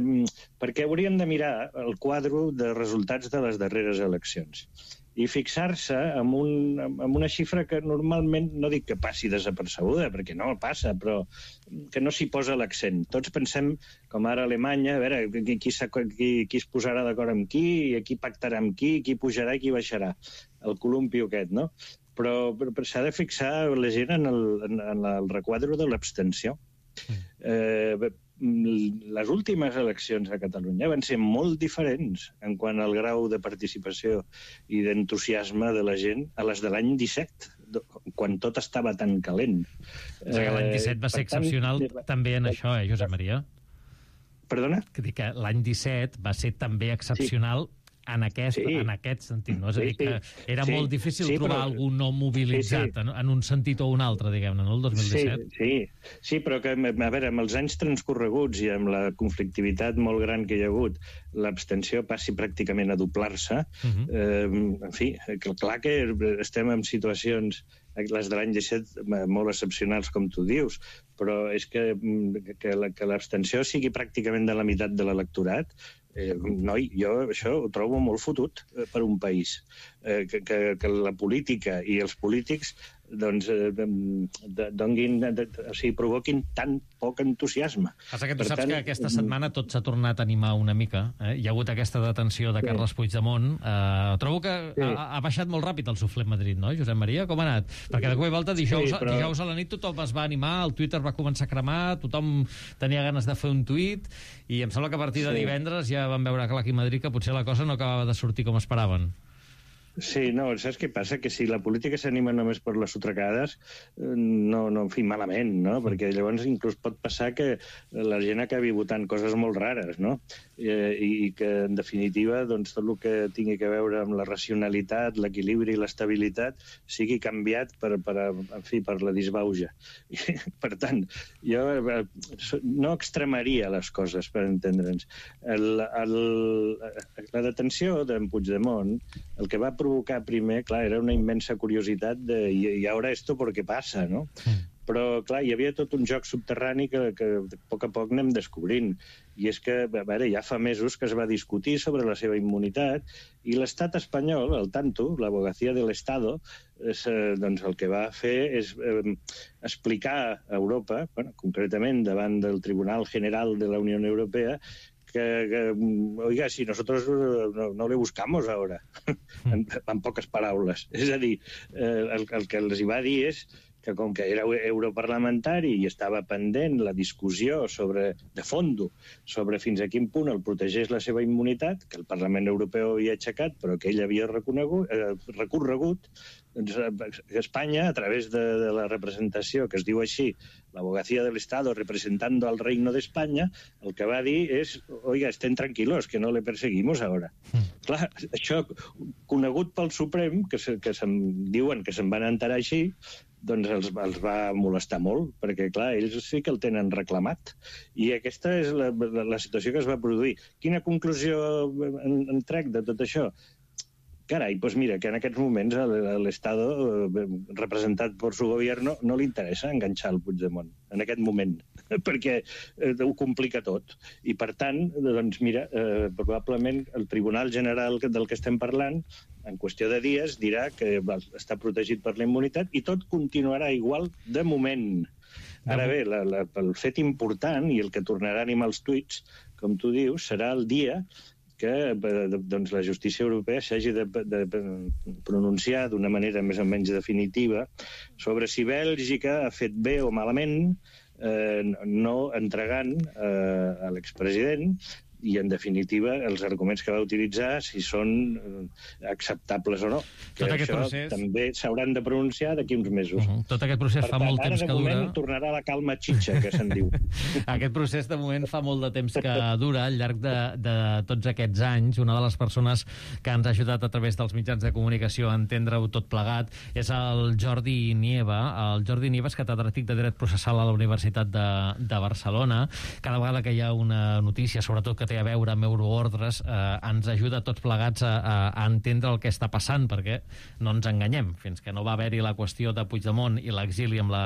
perquè hauríem de mirar el quadre de resultats de les darreres eleccions i fixar-se en, un, en una xifra que normalment, no dic que passi desapercebuda, perquè no passa, però que no s'hi posa l'accent. Tots pensem, com ara a Alemanya, a veure, qui, qui, qui, qui es posarà d'acord amb qui, qui pactarà amb qui, qui pujarà i qui baixarà. El columpio aquest, no? Però, però s'ha de fixar la gent en el, en, en el requadre de l'abstenció. Eh, les últimes eleccions a Catalunya van ser molt diferents en quant al grau de participació i d'entusiasme de la gent a les de l'any disset, quan tot estava tan calent. O sigui, l'any disset va ser excepcional també en això, eh, Josep Maria? Perdona? Que dic que l'any disset va ser també excepcional sí. En aquest, sí. en aquest sentit, no? És a dir, que era sí, molt difícil sí, trobar però... algú no mobilitzat sí, sí. En, en un sentit o un altre, diguem-ne, no? El dos mil disset. Sí, sí, sí, però que, a veure, amb els anys transcorreguts i amb la conflictivitat molt gran que hi ha hagut, l'abstenció passi pràcticament a doblar-se. Uh-huh. eh, en fi, clar que estem en situacions, les de l'any disset, molt excepcionals, com tu dius, però és que, que, que l'abstenció sigui pràcticament de la meitat de l'electorat. Eh, noi, jo això ho trobo molt fotut eh, per un país. Eh, que, que, que la política i els polítics doncs, eh, donguin, de, o sigui, provoquin tan poc entusiasme. Passa que tu per saps tant, que aquesta setmana tot s'ha tornat a animar una mica. Eh? Hi ha hagut aquesta detenció de Carles sí. Puigdemont. Eh, trobo que sí. ha, ha baixat molt ràpid el suflet Madrid, no, Josep Maria? Com ha anat? Perquè de cop i volta dijous, sí, però... dijous a la nit tothom es va animar, el Twitter va començar a cremar, tothom tenia ganes de fer un tuit, i em sembla que a partir de sí. divendres ja van veure clar aquí a Madrid que potser la cosa no acabava de sortir com esperaven. Sí, no, saps què passa? Que si la política s'anima només per les sotracades, no, no, en fi, malament, no? Perquè llavors inclús pot passar que la gent acabi votant coses molt rares, no? Eh, I que, en definitiva, doncs, tot el que tingui a veure amb la racionalitat, l'equilibri i l'estabilitat sigui canviat per, per, en fi, per la disbauja. I, per tant, jo no extremaria les coses, per entendre'ns. El, el, la detenció d'en Puigdemont, el que va provocar primer, clar, era una immensa curiositat de, i, i ara esto por qué passa, no? Mm. Però, clar, hi havia tot un joc subterrani que, que a poc a poc anem descobrint. I és que, a veure, ja fa mesos que es va discutir sobre la seva immunitat i l'estat espanyol, al tanto, l'Abogacía del Estado, és, eh, doncs el que va fer és eh, explicar a Europa, bueno, concretament davant del Tribunal General de la Unió Europea, Que, que, oiga, si nosotros no, no le buscamos ahora, en, en poques paraules. És a dir, eh, el, el que els hi va dir és que com que era europarlamentari i estava pendent la discussió sobre, de fondo sobre fins a quin punt el protegeix la seva immunitat, que el Parlament Europeu havia aixecat, però que ell havia reconegut, eh, recorregut, doncs Espanya, a través de, de la representació, que es diu així, l'Abogacía del Estado representando al Reino de España, el que va dir és, oiga, estén tranquilos, que no le perseguimos ahora. Mm. Clar, això, conegut pel Suprem, que, se, que se'n diuen que se'n van enterar així, doncs els, els va molestar molt, perquè, clar, ells sí que el tenen reclamat. I aquesta és la, la, la situació que es va produir. Quina conclusió en, en trec de tot això? Carai, doncs mira, que en aquests moments l'Estado, representat per su gobierno, no li interessa enganxar el Puigdemont, en aquest moment, perquè eh, ho complica tot. I, per tant, doncs mira, eh, probablement el Tribunal General del que estem parlant, en qüestió de dies, dirà que està protegit per la immunitat i tot continuarà igual de moment. Ara bé, la, la, el fet important, i el que tornarà a animar els tuits, com tu dius, serà el dia que doncs, la justícia europea s'hagi de, de, de pronunciar d'una manera més o menys definitiva sobre si Bèlgica ha fet bé o malament eh, no entregant eh, a l'expresident i, en definitiva, els arguments que va utilitzar, si són acceptables o no. Que Tot això procés... també s'hauran de pronunciar d'aquí uns mesos. Uh -huh. Tot aquest procés per fa tant, molt temps que dura... ara, de moment, tornarà la calma xitxa, que se'n diu. Aquest procés, de moment, fa molt de temps que dura. Al llarg de, de tots aquests anys, una de les persones que ens ha ajudat a través dels mitjans de comunicació a entendre-ho tot plegat és el Jordi Nieva. El Jordi Nieva és catedràtic de Dret Processal a la Universitat de, de Barcelona. Cada vegada que hi ha una notícia, sobretot que té a veure amb euroordres, eh, ens ajuda tots plegats a, a, a entendre el que està passant, perquè no ens enganyem. Fins que no va haver-hi la qüestió de Puigdemont i l'exili amb la,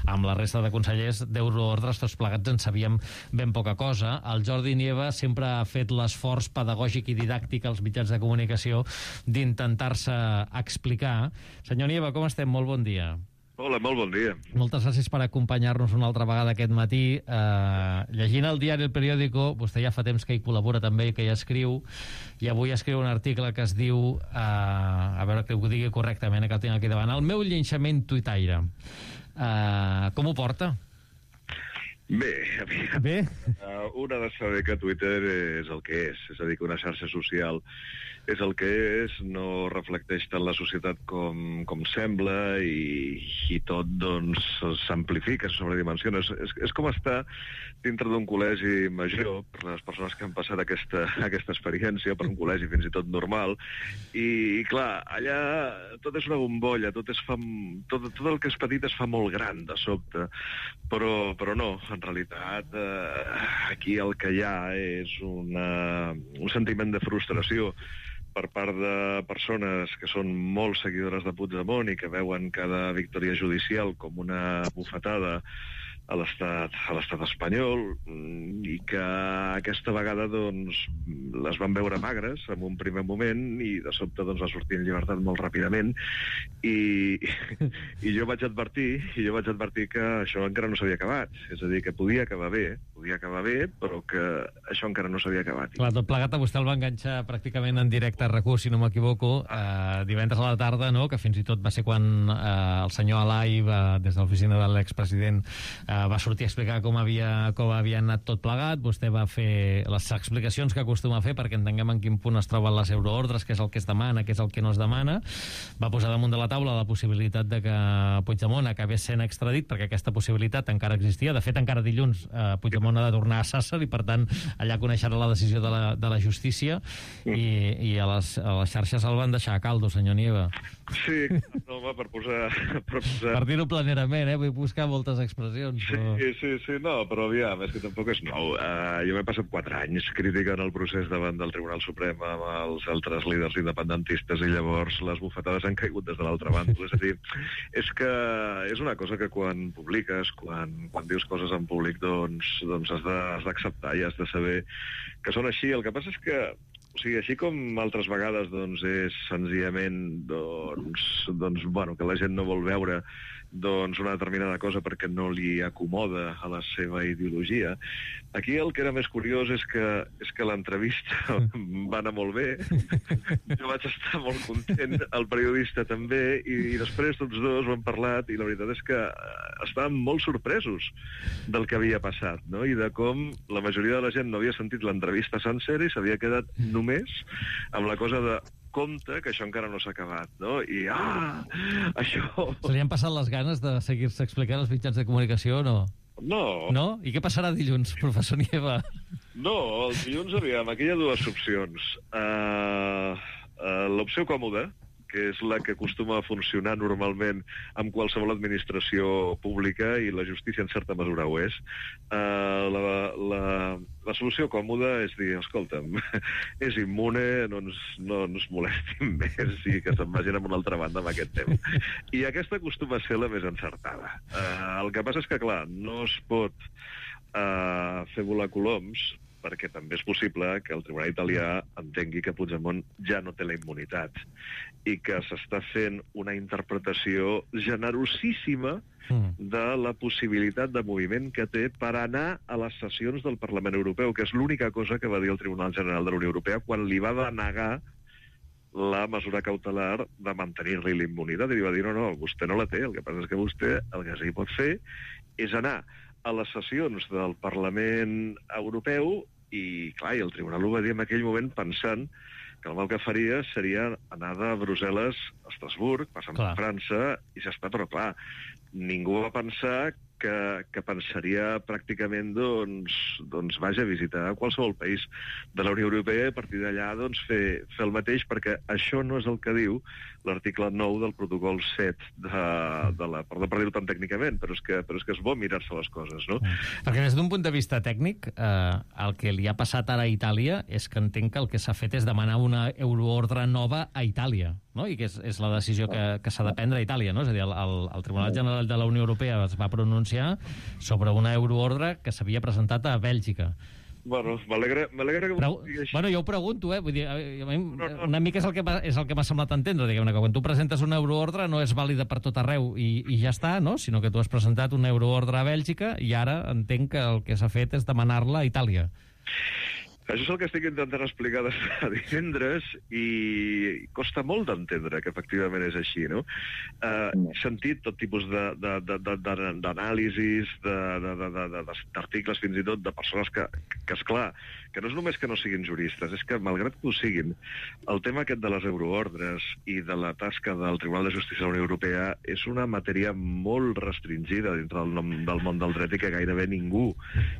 amb la resta de consellers d'euroordres, tots plegats en sabíem ben poca cosa. El Jordi Nieva sempre ha fet l'esforç pedagògic i didàctic als mitjans de comunicació d'intentar-se explicar. Senyor Nieva, com estem? Molt bon dia. Hola, molt bon dia. Moltes gràcies per acompanyar-nos una altra vegada aquest matí. Uh, llegint el diari El Periódico, vostè ja fa temps que hi col·labora també i que hi escriu, i avui escriu un article que es diu, uh, a veure que ho digui correctament, que el tinc aquí davant, el meu llinxament tuitaire. Uh, com ho porta? Bé, aviam. Bé? Uh, un ha de saber que Twitter és el que és, és a dir, que una xarxa social és el que és, no reflecteix tant la societat com, com sembla i, i tot, doncs, s'amplifica, se sobredimensiona. És, és, és com estar dintre d'un col·legi major, per les persones que han passat aquesta, aquesta experiència, per un col·legi fins i tot normal, i, i clar, allà tot és una bombolla, tot, és fa, tot, tot el que és petit es fa molt gran de sobte, però, però no, en realitat eh, aquí el que hi ha és una, un sentiment de frustració per part de persones que són molt seguidores de Puigdemont i que veuen cada victòria judicial com una bufetada a l'estat a l'estat espanyol, i que aquesta vegada doncs les van veure magres en un primer moment i de sobte doncs va sortir en llibertat molt ràpidament i, i jo vaig advertir i jo vaig advertir que això encara no s'havia acabat, és a dir, que podia acabar bé podia acabar bé, però que això encara no s'havia acabat. Clar, tot plegat a vostè el va enganxar pràcticament en directe a RAC u, si no m'equivoco, eh, divendres a la tarda, no?, que fins i tot va ser quan eh, el senyor Alai, va, des de l'oficina de l'expresident, eh, va sortir a explicar com havia, com havia anat tot plegat. Vostè va fer les explicacions que acostuma a fer perquè entenguem en quin punt es troben les euroordres, què és el que es demana, què és el que no es demana. Va posar damunt de la taula la possibilitat de que Puigdemont acabés sent extradit, perquè aquesta possibilitat encara existia. De fet, encara dilluns eh, Puigdemont ha de tornar a Sàsser i, per tant, allà coneixerà la decisió de la, de la justícia i, i a, les, a les xarxes el van deixar a caldo, senyor Nieva. Sí, no, home, per posar... Per, posar... per dir-ho planerament, eh? Vull buscar moltes expressions. Però... Sí, sí, sí, no, però aviam, és que tampoc és nou. Uh, jo m'he passat quatre anys criticant el procés davant del Tribunal Suprem amb els altres líders independentistes i llavors les bufetades han caigut des de l'altra banda. És a dir, és que és una cosa que quan publiques, quan, quan dius coses en públic, doncs, doncs has d'acceptar i has de saber que són així. El que passa és que o sigui, així com altres vegades doncs, és senzillament doncs, doncs, bueno, que la gent no vol veure doncs, una determinada cosa perquè no li acomoda a la seva ideologia. Aquí el que era més curiós és que, és que l'entrevista va anar molt bé, jo vaig estar molt content, el periodista també, i, i després tots dos ho hem parlat i la veritat és que estàvem molt sorpresos del que havia passat, no? I de com la majoria de la gent no havia sentit l'entrevista sencera i s'havia quedat només amb la cosa de compte que això encara no s'ha acabat, no? I, ah, això... Se li han passat les ganes de seguir-se explicant als mitjans de comunicació o no? No. No? I què passarà dilluns, professor Nieva? No, el dilluns, aviam, aquí hi ha dues opcions. Uh, uh, L'opció còmoda, que és la que acostuma a funcionar normalment amb qualsevol administració pública, i la justícia en certa mesura ho és. Uh, la, la, la solució còmoda és dir, escolta'm, és immune, no ens, no ens molestin més i que se'n vagin a una altra banda amb aquest tema. I aquesta acostuma a ser la més encertada. Uh, el que passa és que, clar, no es pot uh, fer volar coloms, perquè també és possible que el Tribunal italià entengui que Puigdemont ja no té la immunitat i que s'està fent una interpretació generosíssima de la possibilitat de moviment que té per anar a les sessions del Parlament Europeu, que és l'única cosa que va dir el Tribunal General de la Unió Europea quan li va denegar la mesura cautelar de mantenir-li la immunitat, i li va dir, no, no, vostè no la té, el que passa és que vostè el que sí pot fer és anar a les sessions del Parlament Europeu i clar, i el tribunal ho va dir en aquell moment pensant que el mal que faria seria anar de Brussel·les a Estrasburg, passant per França, i ja està, però clar, ningú va pensar que, que pensaria pràcticament, doncs, doncs, vaja, visitar qualsevol país de la Unió Europea i a partir d'allà doncs, fer, fer el mateix, perquè això no és el que diu l'article nou del protocol set de, de la... Perdó per dir-ho tan tècnicament, però és, que, però és que és bo mirar-se les coses, no? Perquè des d'un punt de vista tècnic, eh, el que li ha passat ara a Itàlia és que entenc que el que s'ha fet és demanar una euroordre nova a Itàlia, no? I que és, és la decisió que, que s'ha de prendre a Itàlia, no? És a dir, el, el, el Tribunal General de la Unió Europea es va pronunciar sobre una euroordre que s'havia presentat a Bèlgica. Bueno, m'alegra que Però, ho digui així. bueno, jo ho pregunto, eh? Vull dir, a mi, No, no. una mica és el que m'ha és el que m'ha semblat entendre, diguem-ne, que quan tu presentes una euroordre no és vàlida per tot arreu i, i ja està, no? Sinó que tu has presentat una euroordre a Bèlgica i ara entenc que el que s'ha fet és demanar-la a Itàlia. Això és el que estic intentant explicar des de divendres i costa molt d'entendre que efectivament és així, no? Uh, he sentit tot tipus d'anàlisis, d'articles fins i tot de persones que, que esclar, que no és només que no siguin juristes, és que malgrat que ho siguin, el tema aquest de les euroordres i de la tasca del Tribunal de Justícia de la Unió Europea és una matèria molt restringida dintre del, nom, del món del dret i que gairebé ningú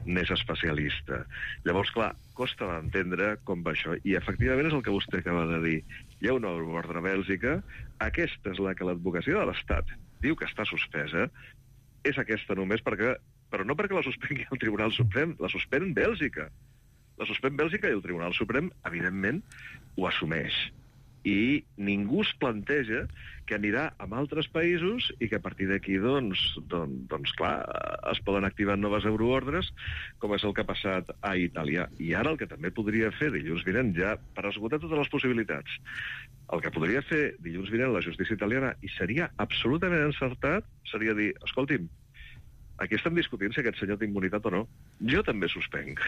n'és especialista. Llavors, clar, costa d'entendre com va això. I efectivament és el que vostè acaba de dir. Hi ha una euroordre a Bèlgica, aquesta és la que l'advocacia de l'Estat diu que està suspesa, és aquesta només perquè, però no perquè la suspengui el Tribunal Suprem, la suspèn Bèlgica. La suspèn Bèlgica i el Tribunal Suprem, evidentment, ho assumeix. I ningú es planteja que anirà a altres països i que a partir d'aquí, doncs, doncs, doncs, clar, es poden activar noves euroordres, com és el que ha passat a Itàlia. I ara el que també podria fer dilluns vinent, ja per esgotar totes les possibilitats, el que podria fer dilluns vinent la justícia italiana, i seria absolutament encertat, seria dir, escolti'm, aquí estem discutint si aquest senyor té immunitat o no. Jo també suspenc,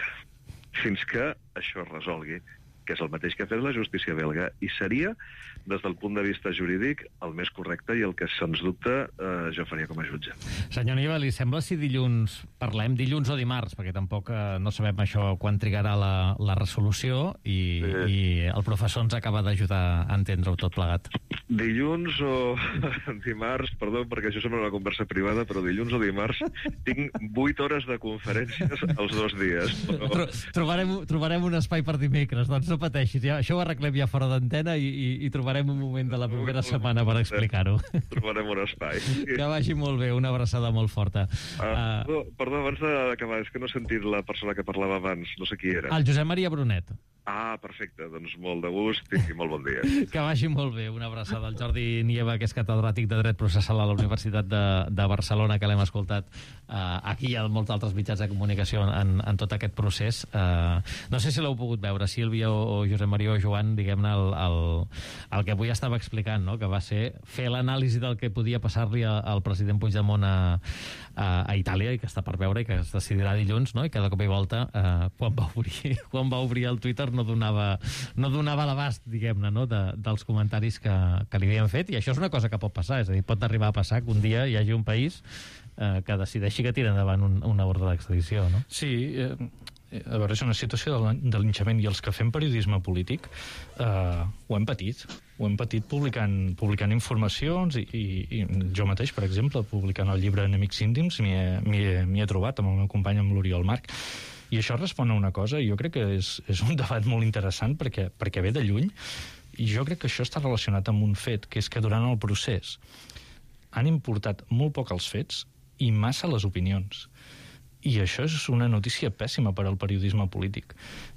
fins que això es resolgui, que és el mateix que ha fet la justícia belga, i seria, des del punt de vista jurídic, el més correcte i el que, sens dubte, eh, jo faria com a jutge. Senyor Nieva, li sembla si dilluns, parlem dilluns o dimarts, perquè tampoc eh, no sabem això quan trigarà la, la resolució, i, sí. i el professor ens acaba d'ajudar a entendre-ho tot plegat. Dilluns o dimarts, perdó, perquè això sembla una conversa privada, però dilluns o dimarts tinc vuit hores de conferències els dos dies. Però... Tro trobarem, trobarem un espai per dimecres, doncs no pateixis, ja, això ho arreglem ja fora d'antena i, i, i trobarem un moment de la propera setmana per explicar-ho. Trobarem un espai. Que vagi molt bé, una abraçada molt forta. Uh, uh... Perdó, perdó, abans d'acabar, és que no he sentit la persona que parlava abans, no sé qui era. El Josep Maria Brunet. Ah, perfecte, doncs molt de gust i molt bon dia. Que vagi molt bé, una abraçada al Jordi Nieva, que és catedràtic de Dret Processal a la Universitat de, de Barcelona, que l'hem escoltat uh, aquí i a molts altres mitjans de comunicació en, en tot aquest procés. Uh, no sé si l'heu pogut veure, Sílvia o, o Josep Maria o Joan, diguem-ne, el, el, el que avui estava explicant, no? Que va ser fer l'anàlisi del que podia passar-li al president Puigdemont a, a, a Itàlia, i que està per veure i que es decidirà dilluns, no? I cada cop i volta, uh, quan, va obrir, quan va obrir el Twitter, no donava, no donava l'abast, diguem-ne, no? de, dels comentaris que, que li havien fet, i això és una cosa que pot passar, és a dir, pot arribar a passar que un dia hi hagi un país eh, que decideixi que tira endavant un, una ordre d'extradició, no? Sí, eh, a veure, és una situació de linxament, i els que fem periodisme polític eh, ho hem patit, ho hem patit publicant, publicant informacions, i, i, i jo mateix, per exemple, publicant el llibre Enemics íntims, m'hi he, he, he trobat amb el meu company, amb l'Oriol Marc. I això respon a una cosa, i jo crec que és, és un debat molt interessant perquè, perquè ve de lluny, i jo crec que això està relacionat amb un fet, que és que durant el procés han importat molt poc els fets i massa les opinions. I això és una notícia pèssima per al periodisme polític.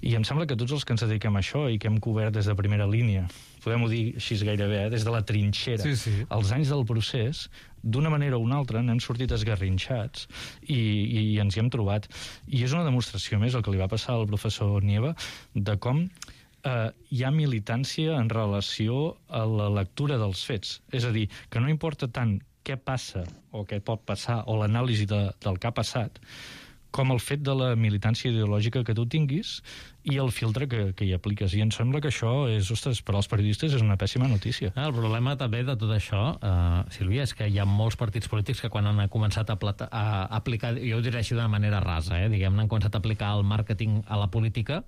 I em sembla que tots els que ens dediquem a això i que hem cobert des de primera línia, podem-ho dir així gairebé, eh? Des de la trinxera, sí, sí. els anys del procés, d'una manera o una altra n'hem sortit esgarrinxats i, i, i ens hi hem trobat. I és una demostració més, el que li va passar al professor Nieva, de com eh, hi ha militància en relació a la lectura dels fets. És a dir, que no importa tant què passa o què pot passar o l'anàlisi de, del que ha passat, com el fet de la militància ideològica que tu tinguis i el filtre que, que hi apliques. I em sembla que això és, ostres, per als periodistes és una pèssima notícia. Ah, el problema també de tot això, uh, Sílvia, és que hi ha molts partits polítics que quan han començat a, plata, a aplicar, jo ho diré així d'una manera rasa, eh, diguem-ne, han començat a aplicar el màrqueting a la política,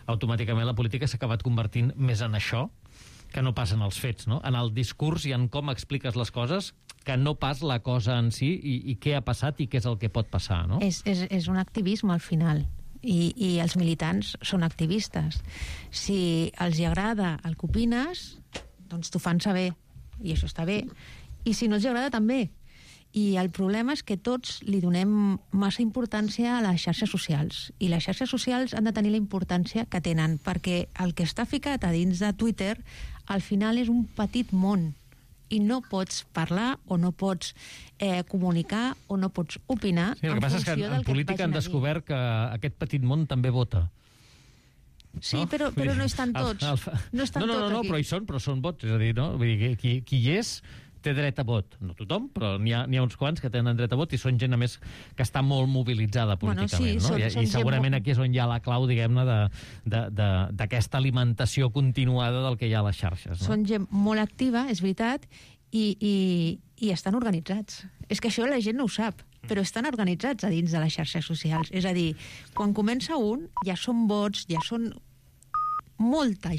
automàticament la política s'ha acabat convertint més en això que no passen els fets, no? En el discurs i en com expliques les coses, que no pas la cosa en si i, i què ha passat i què és el que pot passar, no? És, és, és un activisme, al final, i, i els militants són activistes. Si els hi agrada el que opines, doncs t'ho fan saber, i això està bé. I si no els hi agrada, també. I el problema és que tots li donem massa importància a les xarxes socials. I les xarxes socials han de tenir la importància que tenen, perquè el que està ficat a dins de Twitter, al final és un petit món. I no pots parlar o no pots eh, comunicar o no pots opinar sí, el que passa és que en política han descobert que aquest petit món també vota. Sí, no? però, però no és tant tots. El, el, no, és tant no, no, no, no, aquí. però hi són, però són vots. És a dir, no? Vull dir, qui, qui hi és té dret a vot. No tothom, però n'hi ha, n'hi ha uns quants que tenen dret a vot i són gent, a més, que està molt mobilitzada políticament. Bueno, sí, no? són, I, són I segurament gent... aquí és on hi ha la clau, diguem-ne, d'aquesta alimentació continuada del que hi ha a les xarxes. No? Són gent molt activa, és veritat, i, i, i estan organitzats. És que això la gent no ho sap, però estan organitzats a dins de les xarxes socials. És a dir, quan comença un, ja són vots, ja són molta